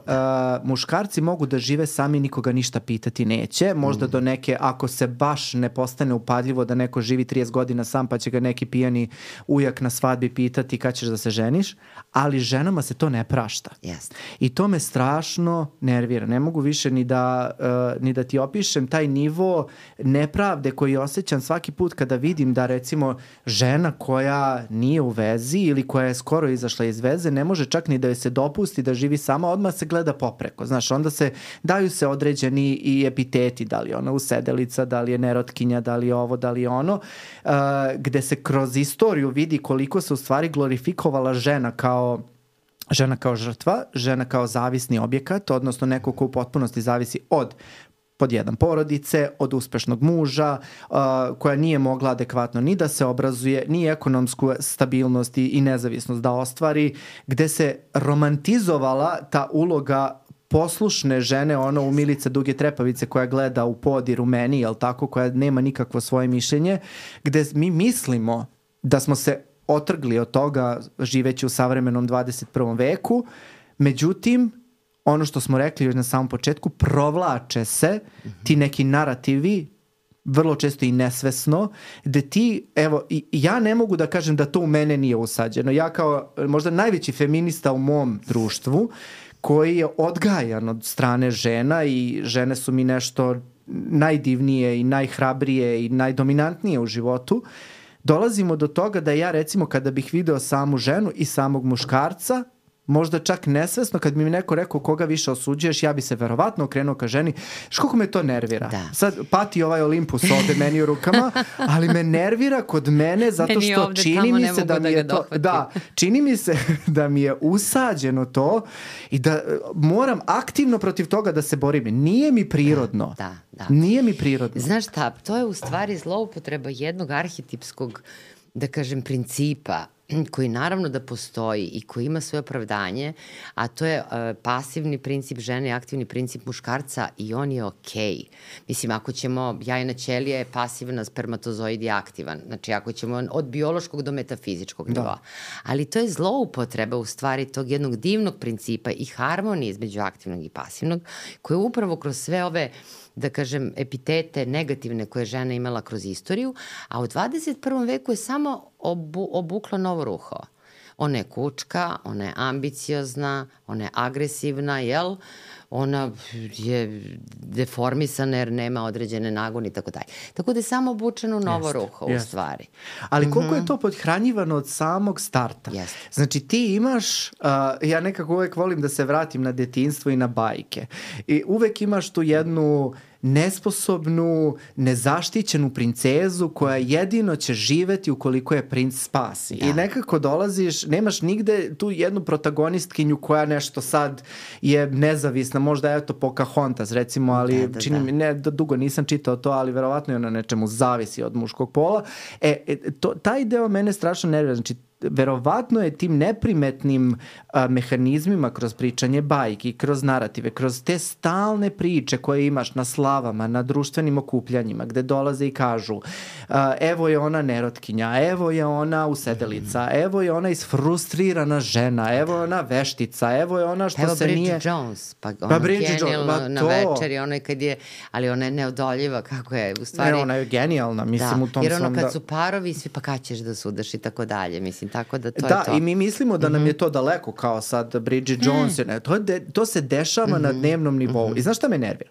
muškarci mogu da žive sami, nikoga ništa pitati neće. Možda do neke, ako se baš ne postane upadljivo da neko živi 30 godina sam, pa će ga neki pijani ujak na svadbi pitati kad ćeš da se ženiš, ali ženama se to ne prašta. Yes. I to me strašno nervira. Ne mogu više ni da ti opišem taj nivo nepravde koji osjećam svaki put kada vidim da recimo žena koja nije u vezi ili koja je skoro izašla iz veze ne može čak ni da joj se dopusti da živi sama, odmah se gleda popreko. Znaš, onda daju se određeni i epiteti, da li je ona usedelica, da li je nerotkinja, da li je ovo, da li je ono, gde se kroz istoriju vidi koliko se u stvari glorifikovala žena kao žrtva, žena kao zavisni objekat, odnosno neko ko u potpunosti zavisi od pod jedan porodice, od uspešnog muža, koja nije mogla adekvatno ni da se obrazuje, ni ekonomsku stabilnost i nezavisnost da ostvari, gde se romantizovala ta uloga poslušne žene, ono u Milice duge trepavice koja gleda u pod i rumeni, jel tako, koja nema nikakvo svoje mišljenje, gde mi mislimo da smo se otrgli od toga živeći u savremenom 21. veku, međutim, ono što smo rekli još na samom početku, provlače se ti neki narativi, vrlo često i nesvesno, gde ti, evo, ja ne mogu da kažem da to u mene nije usađeno. Ja kao možda najveći feminista u mom društvu, koji je odgajan od strane žena i žene su mi nešto najdivnije i najhrabrije i najdominantnije u životu, dolazimo do toga da ja recimo kada bih video samu ženu i samog muškarca, možda čak nesvesno, kad bi mi neko rekao koga više osuđuješ, ja bi se verovatno okrenuo ka ženi. Koliko me to nervira? Da. Sad pati ovaj Olimpus ovde meni u rukama, ali me nervira kod mene zato što čini mi se da mi je to... Da, čini mi se da mi je usađeno to i da moram aktivno protiv toga da se borim. Nije mi prirodno. Da. Nije mi prirodno. Znaš šta, to je u stvari zloupotreba jednog arhetipskog, da kažem, principa koji naravno da postoji i koji ima svoje opravdanje, a to je pasivni princip žene i aktivni princip muškarca i on je okej. Mislim, ako ćemo, jajna ćelija je pasivna, spermatozoid je aktivan. Znači, ako ćemo od biološkog do metafizičkog nivoa. Ali to je zloupotreba u stvari tog jednog divnog principa i harmonije između aktivnog i pasivnog, koje upravo kroz sve ove, da kažem, epitete negativne koje je žena imala kroz istoriju, a u 21. veku je samo obukla novo ruho. Ona je kučka, ona je ambiciozna, ona je agresivna, jel? Ona je deformisana jer nema određene nagone i tako dalje. Tako da je samo obučeno novo ruho u stvari. Ali koliko je to podhranjivano od samog starta. Znači ti imaš, ja nekako uvek volim da se vratim na detinjstvo i na bajke. I uvek imaš tu jednu nesposobnu, nezaštićenu princezu koja jedino će živeti ukoliko je princ spasi. I nekako dolaziš, nemaš nigde tu jednu protagonistkinju koja nešto sad je nezavisna, možda eto Pocahontas recimo, ali čini mi, ne, dugo nisam čitao to, ali verovatno je ona nečemu zavisi od muškog pola. Taj deo mene strašno nervira, znači verovatno je tim neprimetnim mehanizmima kroz pričanje bajki, kroz narative, kroz te stalne priče koje imaš na slavama, na društvenim okupljanjima, gde dolaze i kažu evo je ona nerotkinja, evo je ona usedelica, evo je ona isfrustrirana žena, evo je ona veštica, evo je ona što se nije... Evo Bridget Jones, pa ona genijalno na večeri, ona je kad je, ali ona je neodoljiva, kako je, u stvari... Ne, ona je genijalna, mislim u tom jer ono kad su parovi, svi pa kad ćeš da sudaš i tako dalje, mislim, tako da to je to. Da, i mi mislimo da nam je to daleko, kao sad Bridget Jones, to se dešava na dnevnom nivou. I znaš šta me nervira?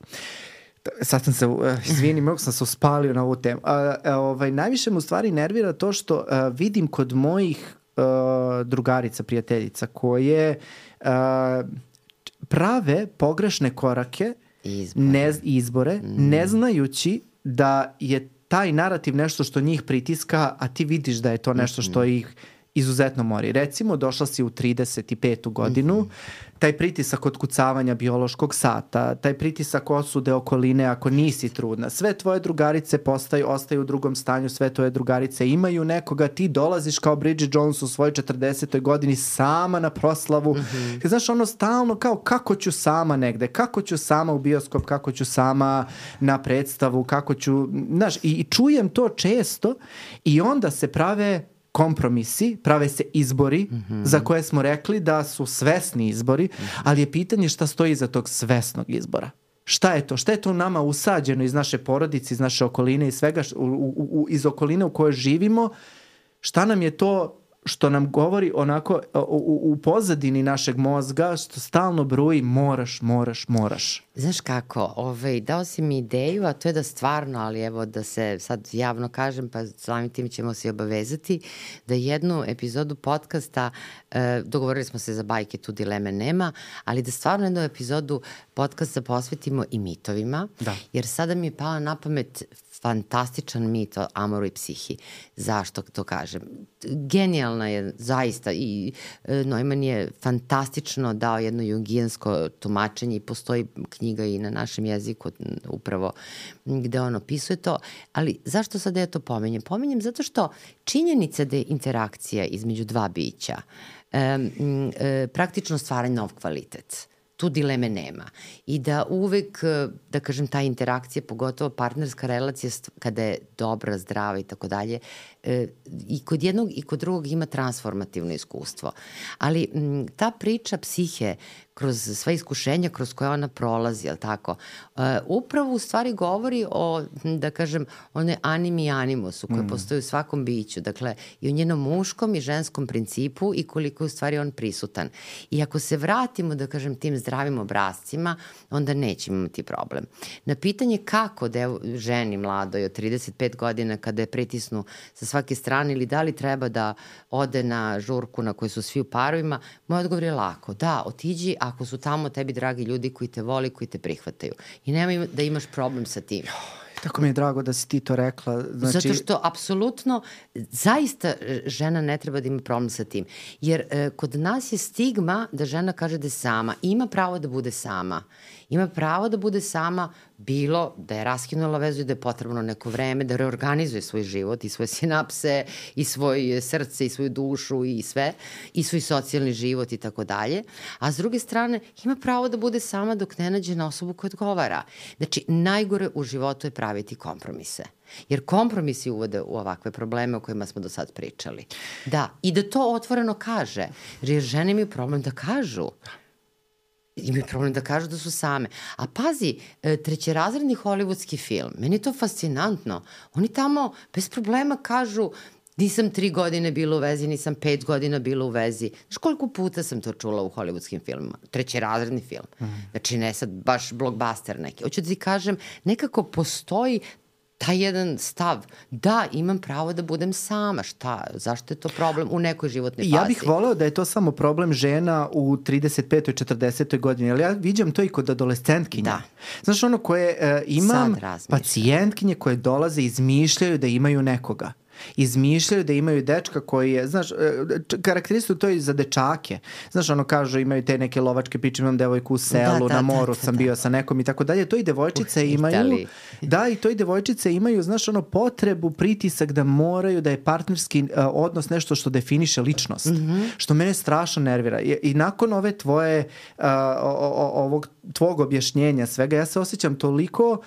Sad sam se, izvini, mnogo sam se uspalio na ovu temu. Najviše me u stvari nervira to što vidim kod mojih drugarica, prijateljica, koje prave pogrešne korake, izbore, ne znajući da je taj narativ nešto što njih pritiska, a ti vidiš da je to nešto što ih izuzetno mori. Recimo, došla si u 35. godinu, taj pritisak otkucavanja biološkog sata, taj pritisak osude okoline ako nisi trudna, sve tvoje drugarice ostaju u drugom stanju, sve tvoje drugarice imaju nekoga, ti dolaziš kao Bridget Jones u svojoj 40. godini sama na proslavu. Znaš, ono stalno kao kako ću sama negde, kako ću sama u bioskop, kako ću sama na predstavu, kako ću, znaš, i čujem to često i onda se prave kompromisi, prave se izbori za koje smo rekli da su svesni izbori, ali je pitanje šta stoji iza tog svesnog izbora. Šta je to? Šta je to nama usađeno iz naše porodice, iz naše okoline, iz svega, iz okoline u kojoj živimo? Šta nam je to što nam govori onako u pozadini našeg mozga, što stalno bruji moraš. Znaš kako, dao si mi ideju, a to je da stvarno, ali evo da se sad javno kažem, pa samim tim ćemo se obavezati, da jednu epizodu podcasta, dogovorili smo se za bajke, tu dileme nema, ali da stvarno jednu epizodu podcasta posvetimo i mitovima, jer sada mi je pala na pamet fantastičan mit o Amoru i psihi. Zašto to kažem? Genijalna je zaista i Neumann je fantastično dao jedno jungijansko tumačenje i postoji knjiga i na našem jeziku upravo gde on opisuje to, ali zašto sad ja to pominjem? Pominjem zato što činjenica da je interakcija između dva bića praktično stvara nov kvalitet. Tu dileme nema. I da uvek, da kažem, ta interakcija, pogotovo partnerska relacija, kada je dobra, zdrava i tako dalje, i kod jednog i kod drugog ima transformativno iskustvo. Ali ta priča psihe, kroz sva iskušenja kroz koje ona prolazi, jel tako, upravo u stvari govori o, da kažem, one animi i animusu koje postoji u svakom biću, dakle, i o njenom muškom i ženskom principu i koliko je u stvari on prisutan. I ako se vratimo, da kažem, tim zdravim obrazcima, onda nećemo imati problem. Na pitanje kako ženi mladoj od 35 godina kada je pritisnu sa svake strane ili da li treba da ode na žurku na kojoj su svi u parovima, moj odgovor je lako. Da, otiđi ako su tamo tebi dragi ljudi koji te voli, koji te prihvataju. I nemoj da imaš problem sa tim. Tako mi je drago da si ti to rekla. Zato što apsolutno zaista žena ne treba da ima problem sa tim. Jer kod nas je stigma da žena kaže da je sama. Ima pravo da bude sama. Ima pravo da bude sama, bilo da je raskinula vezu i da je potrebno neko vreme, da reorganizuje svoj život i svoje sinapse i svoje srce i svoju dušu i sve, i svoj socijalni život i tako dalje. A s druge strane, ima pravo da bude sama dok ne nađe na osobu koja odgovara. Znači, najgore u životu je praviti kompromise. Jer kompromisi uvode u ovakve probleme o kojima smo do sad pričali. Da, i da to otvoreno kaže. Jer žene imaju problem da kažu. Imaju problem da kažu da su same. A pazi, trećerazredni hollywoodski film, meni je to fascinantno. Oni tamo bez problema kažu nisam 3 godine bila u vezi, nisam 5 godina bila u vezi. Znaš koliko puta sam to čula u hollywoodskim filmima? Trećerazredni film. Znači ne sad baš blockbuster neki. Hoću da ti kažem, nekako postoji taj jedan stav, da, imam pravo da budem sama, šta, zašto je to problem u nekoj životnoj fazi? Ja bih voleo da je to samo problem žena u 35. 40. godini, ali ja viđam to i kod adolescentkinja. Da. Znaš, ono koje imam pacijentkinje koje dolaze i izmišljaju da imaju nekoga. Izmišljaju da imaju dečka koji je, znaš, karakteristično to i za dečake. Znaš, ono kažu, imaju te neke lovačke priče, imam devojku u selu, na moru sam bio sa nekom i tako dalje. To i devojčice imaju. Da, i to i devojčice imaju, znaš, ono potrebu, pritisak da moraju, da je partnerski odnos nešto što definiše ličnost. Što mene strašno nervira. I nakon ove tvoje, ovog tvog objašnjenja svega, ja se osjećam toliko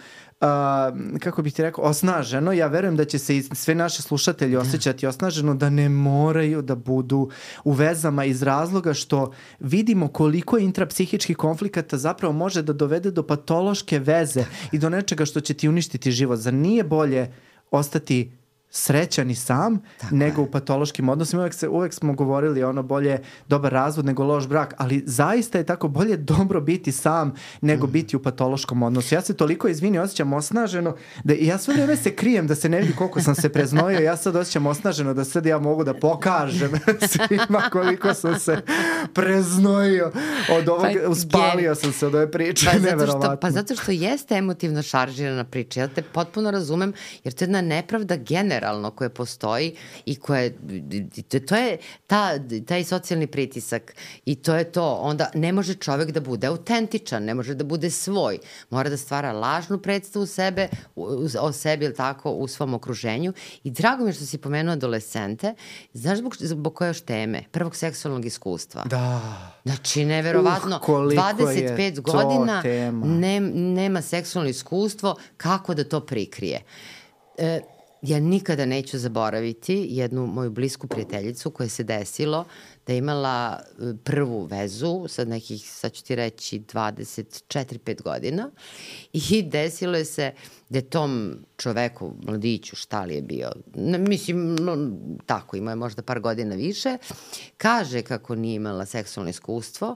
kako bih ti rekao, osnaženo. Ja verujem da će se i sve naše slušatelji osjećati osnaženo, da ne moraju da budu u vezama iz razloga što vidimo koliko intrapsihičkih konflikata zapravo može da dovede do patološke veze i do nečega što će ti uništiti život. Zar nije bolje ostati srećan i sam nego u patološkim odnosima? Uvek smo govorili ono bolje dobar razvod nego loš brak, ali zaista je tako bolje dobro biti sam nego biti u patološkom odnosu. Ja se toliko osjećam osnaženo da ja sve vreme se krijem da se ne vidi koliko sam se preznojio. Ja sad osjećam osnaženo da sad ja mogu da pokažem svima koliko sam se preznojio od ovog, uspalio sam se od ove priče. Zato što jeste emotivno šaržirana priča. Ja te potpuno razumem, jer to je jedna nepravda generalno koje postoji i koje, to je taj socijalni pritisak i to je to. Onda ne može čovek da bude autentičan, ne može da bude svoj. Mora da stvara lažnu predstavu o sebi, ili tako, u svom okruženju. I drago mi je što si pomenuo adolescente. Znaš zbog koje još teme? Prvog seksualnog iskustva. Da. Znači, neverovatno, 25 godina nema seksualno iskustvo, kako da to prikrije? ja nikada neću zaboraviti jednu moju blisku prijateljicu koja se desilo da je imala prvu vezu sa nekih, sad ću ti reći, 24-5 godina i desilo je se da je tom čoveku, mladiću, šta li je bio, mislim, tako, imao je možda par godina više, kaže kako nije imala seksualno iskustvo,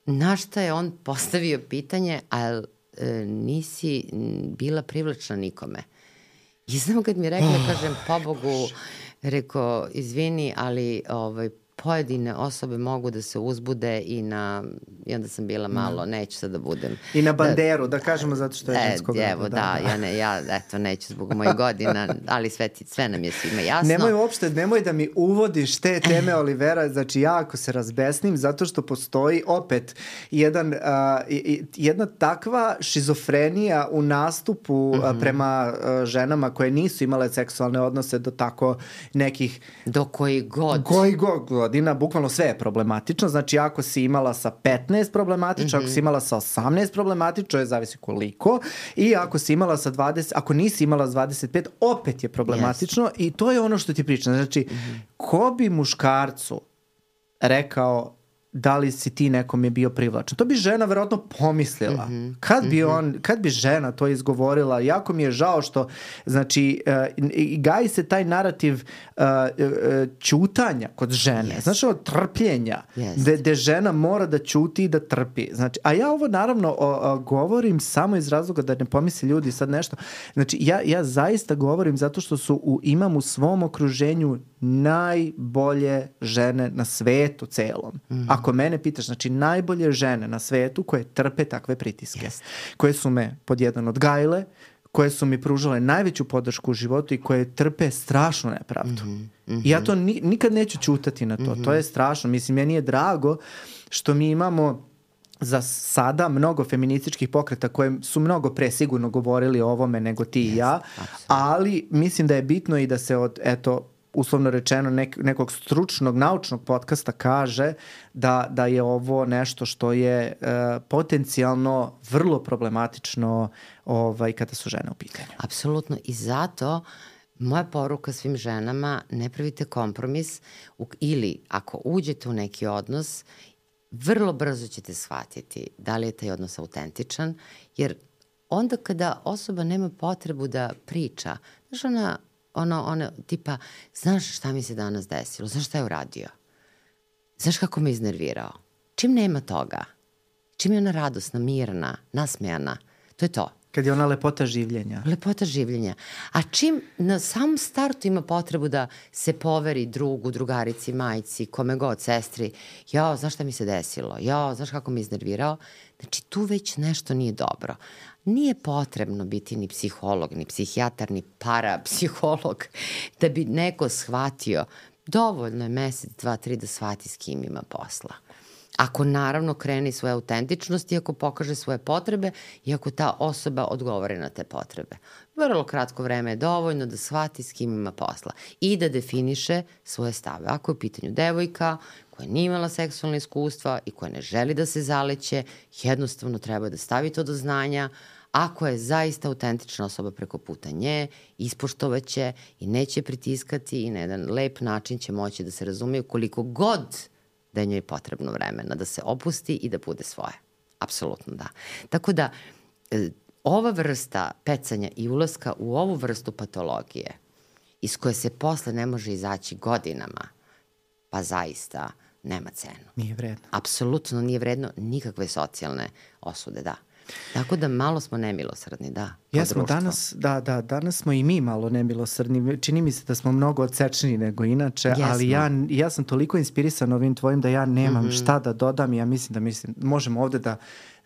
na šta je on postavio pitanje, a nisi bila privlačna nikome. I znam kad mi je rekla, kažem, pobogu, rekao, izvini, ali pojedine osobe mogu da se uzbude i onda sam bila malo, neću sad da budem. I na banderu, da kažemo zato što je ženskog roda. Evo, ja neću zbog mojih godina, ali sve nam je svima jasno. Nemoj da mi uvodiš te teme, Olivera, znači ja ako se razbesnim, zato što postoji opet jedna takva šizofrenija u nastupu prema ženama koje nisu imale seksualne odnose do tako nekih... Do koji god godina, bukvalno sve je problematično, znači ako si imala sa 15 problematično, ako si imala sa 18 problematično, je zavisi koliko, i ako si imala sa 20, ako nisi imala sa 25, opet je problematično i to je ono što ti pričam, znači ko bi muškarcu rekao da li si ti nekom je bio privlačan. To bi žena verovatno pomislila. Kad bi žena to izgovorila, jako mi je žao što, znači, gaji se taj narativ ćutanja kod žene. Znači, od trpljenja, gde žena mora da ćuti i da trpi. Znači, a ja ovo naravno govorim samo iz razloga da ne pomisli ljudi sad nešto. Znači, ja zaista govorim zato što imam u svom okruženju najbolje žene na svetu celom. Ako mene pitaš, znači najbolje žene na svetu koje trpe takve pritiske, koje su me pod jedan odgajile, koje su mi pružale najveću podršku u životu i koje trpe strašnu nepravdu. I ja to nikad neću ćutati na to. To je strašno. Mislim, meni je drago što mi imamo za sada mnogo feminističkih pokreta koje su mnogo pre sigurno govorili o ovome nego ti i ja, ali mislim da je bitno i da se od, uslovno rečeno, nekog stručnog, naučnog podcasta kaže da je ovo nešto što je potencijalno vrlo problematično kada su žene u pitanju. Apsolutno. I zato moja poruka svim ženama, ne pravite kompromis ili ako uđete u neki odnos, vrlo brzo ćete shvatiti da li je taj odnos autentičan, jer onda kada osoba nema potrebu da priča, znaš ona tipa, znaš šta mi se danas desilo, znaš šta je uradio, znaš kako me iznervirao, čim nema toga, čim je ona radosna, mirna, nasmejana, to je to. Kad je ona lepota življenja. Lepota življenja. A čim na samom startu ima potrebu da se poveri drugu, drugarici, majci, kome god, sestri, znaš šta mi se desilo, znaš kako me iznervirao, znači tu već nešto nije dobro. Nije potrebno biti ni psiholog, ni psihijatar, ni parapsiholog da bi neko shvatio. Dovoljno je mesec, 2, 3 da shvati s kim ima posla. Ako naravno krene svoje autentičnosti, ako pokaže svoje potrebe i ako ta osoba odgovore na te potrebe. Vrlo kratko vreme je dovoljno da shvati s kim ima posla i da definiše svoje stave. Ako je u pitanju devojka koja nije imala seksualne iskustva i koja ne želi da se zaleće, jednostavno treba da stavi to do znanja. Ako je zaista autentična osoba preko puta nje, ispoštovaće i neće pritiskati i na jedan lep način će moći da se razumeju koliko god da je njoj potrebno vremena da se opusti i da bude svoje. Apsolutno da. Tako da, ova vrsta pecanja i ulaska u ovu vrstu patologije iz koje se posle ne može izaći godinama, pa zaista nema cenu. Nije vredno. Apsolutno nije vredno nikakve socijalne osude, da. Tako da malo smo nemilosrdni, da. Jesmo, danas smo i mi malo nemilosrdni. Čini mi se da smo mnogo odsečniji nego inače, ali ja sam toliko inspirisan ovim tvojim da ja nemam šta da dodam i ja mislim možemo ovde da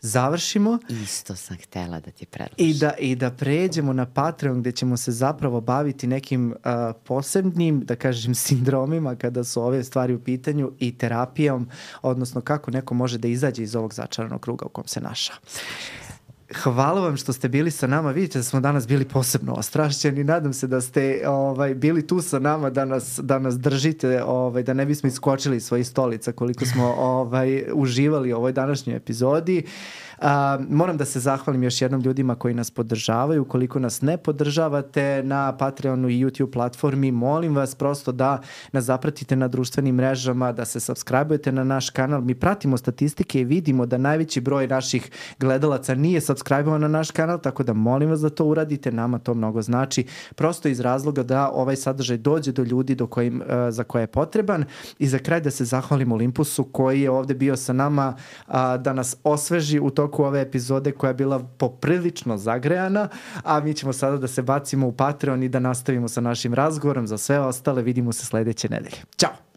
završimo. Isto sam htela da ti predložim. I da pređemo na Patreon gde ćemo se zapravo baviti nekim posebnim, da kažem, sindromima kada su ove stvari u pitanju i terapijom, odnosno kako neko može da izađe iz ovog začaranog kruga u kom se našao. Hvala vam što ste bili sa nama. Vidite da smo danas bili posebno ostrašćeni. Nadam se da ste bili tu sa nama da nas držite, da ne bismo iskočili iz svojih stolica koliko smo uživali u ovoj današnjoj epizodi. Moram da se zahvalim još jednom ljudima koji nas podržavaju. Ukoliko nas ne podržavate na Patreonu i YouTube platformi, molim vas prosto da nas zapratite na društvenim mrežama, da se subscribe-ujete na naš kanal. Mi pratimo statistike i vidimo da najveći broj naših gledalaca nije subscribe-ovan na naš kanal, tako da molim vas da to uradite, nama to mnogo znači, prosto iz razloga da ovaj sadržaj dođe do ljudi za koje je potreban. I za kraj da se zahvalim Olympusu koji je ovde bio sa nama da nas osveži u toku ove epizode koja je bila poprilično zagrejana, a mi ćemo sada da se bacimo u Patreon i da nastavimo sa našim razgovorom. Za sve ostale vidimo se sledeće nedelje. Ćao!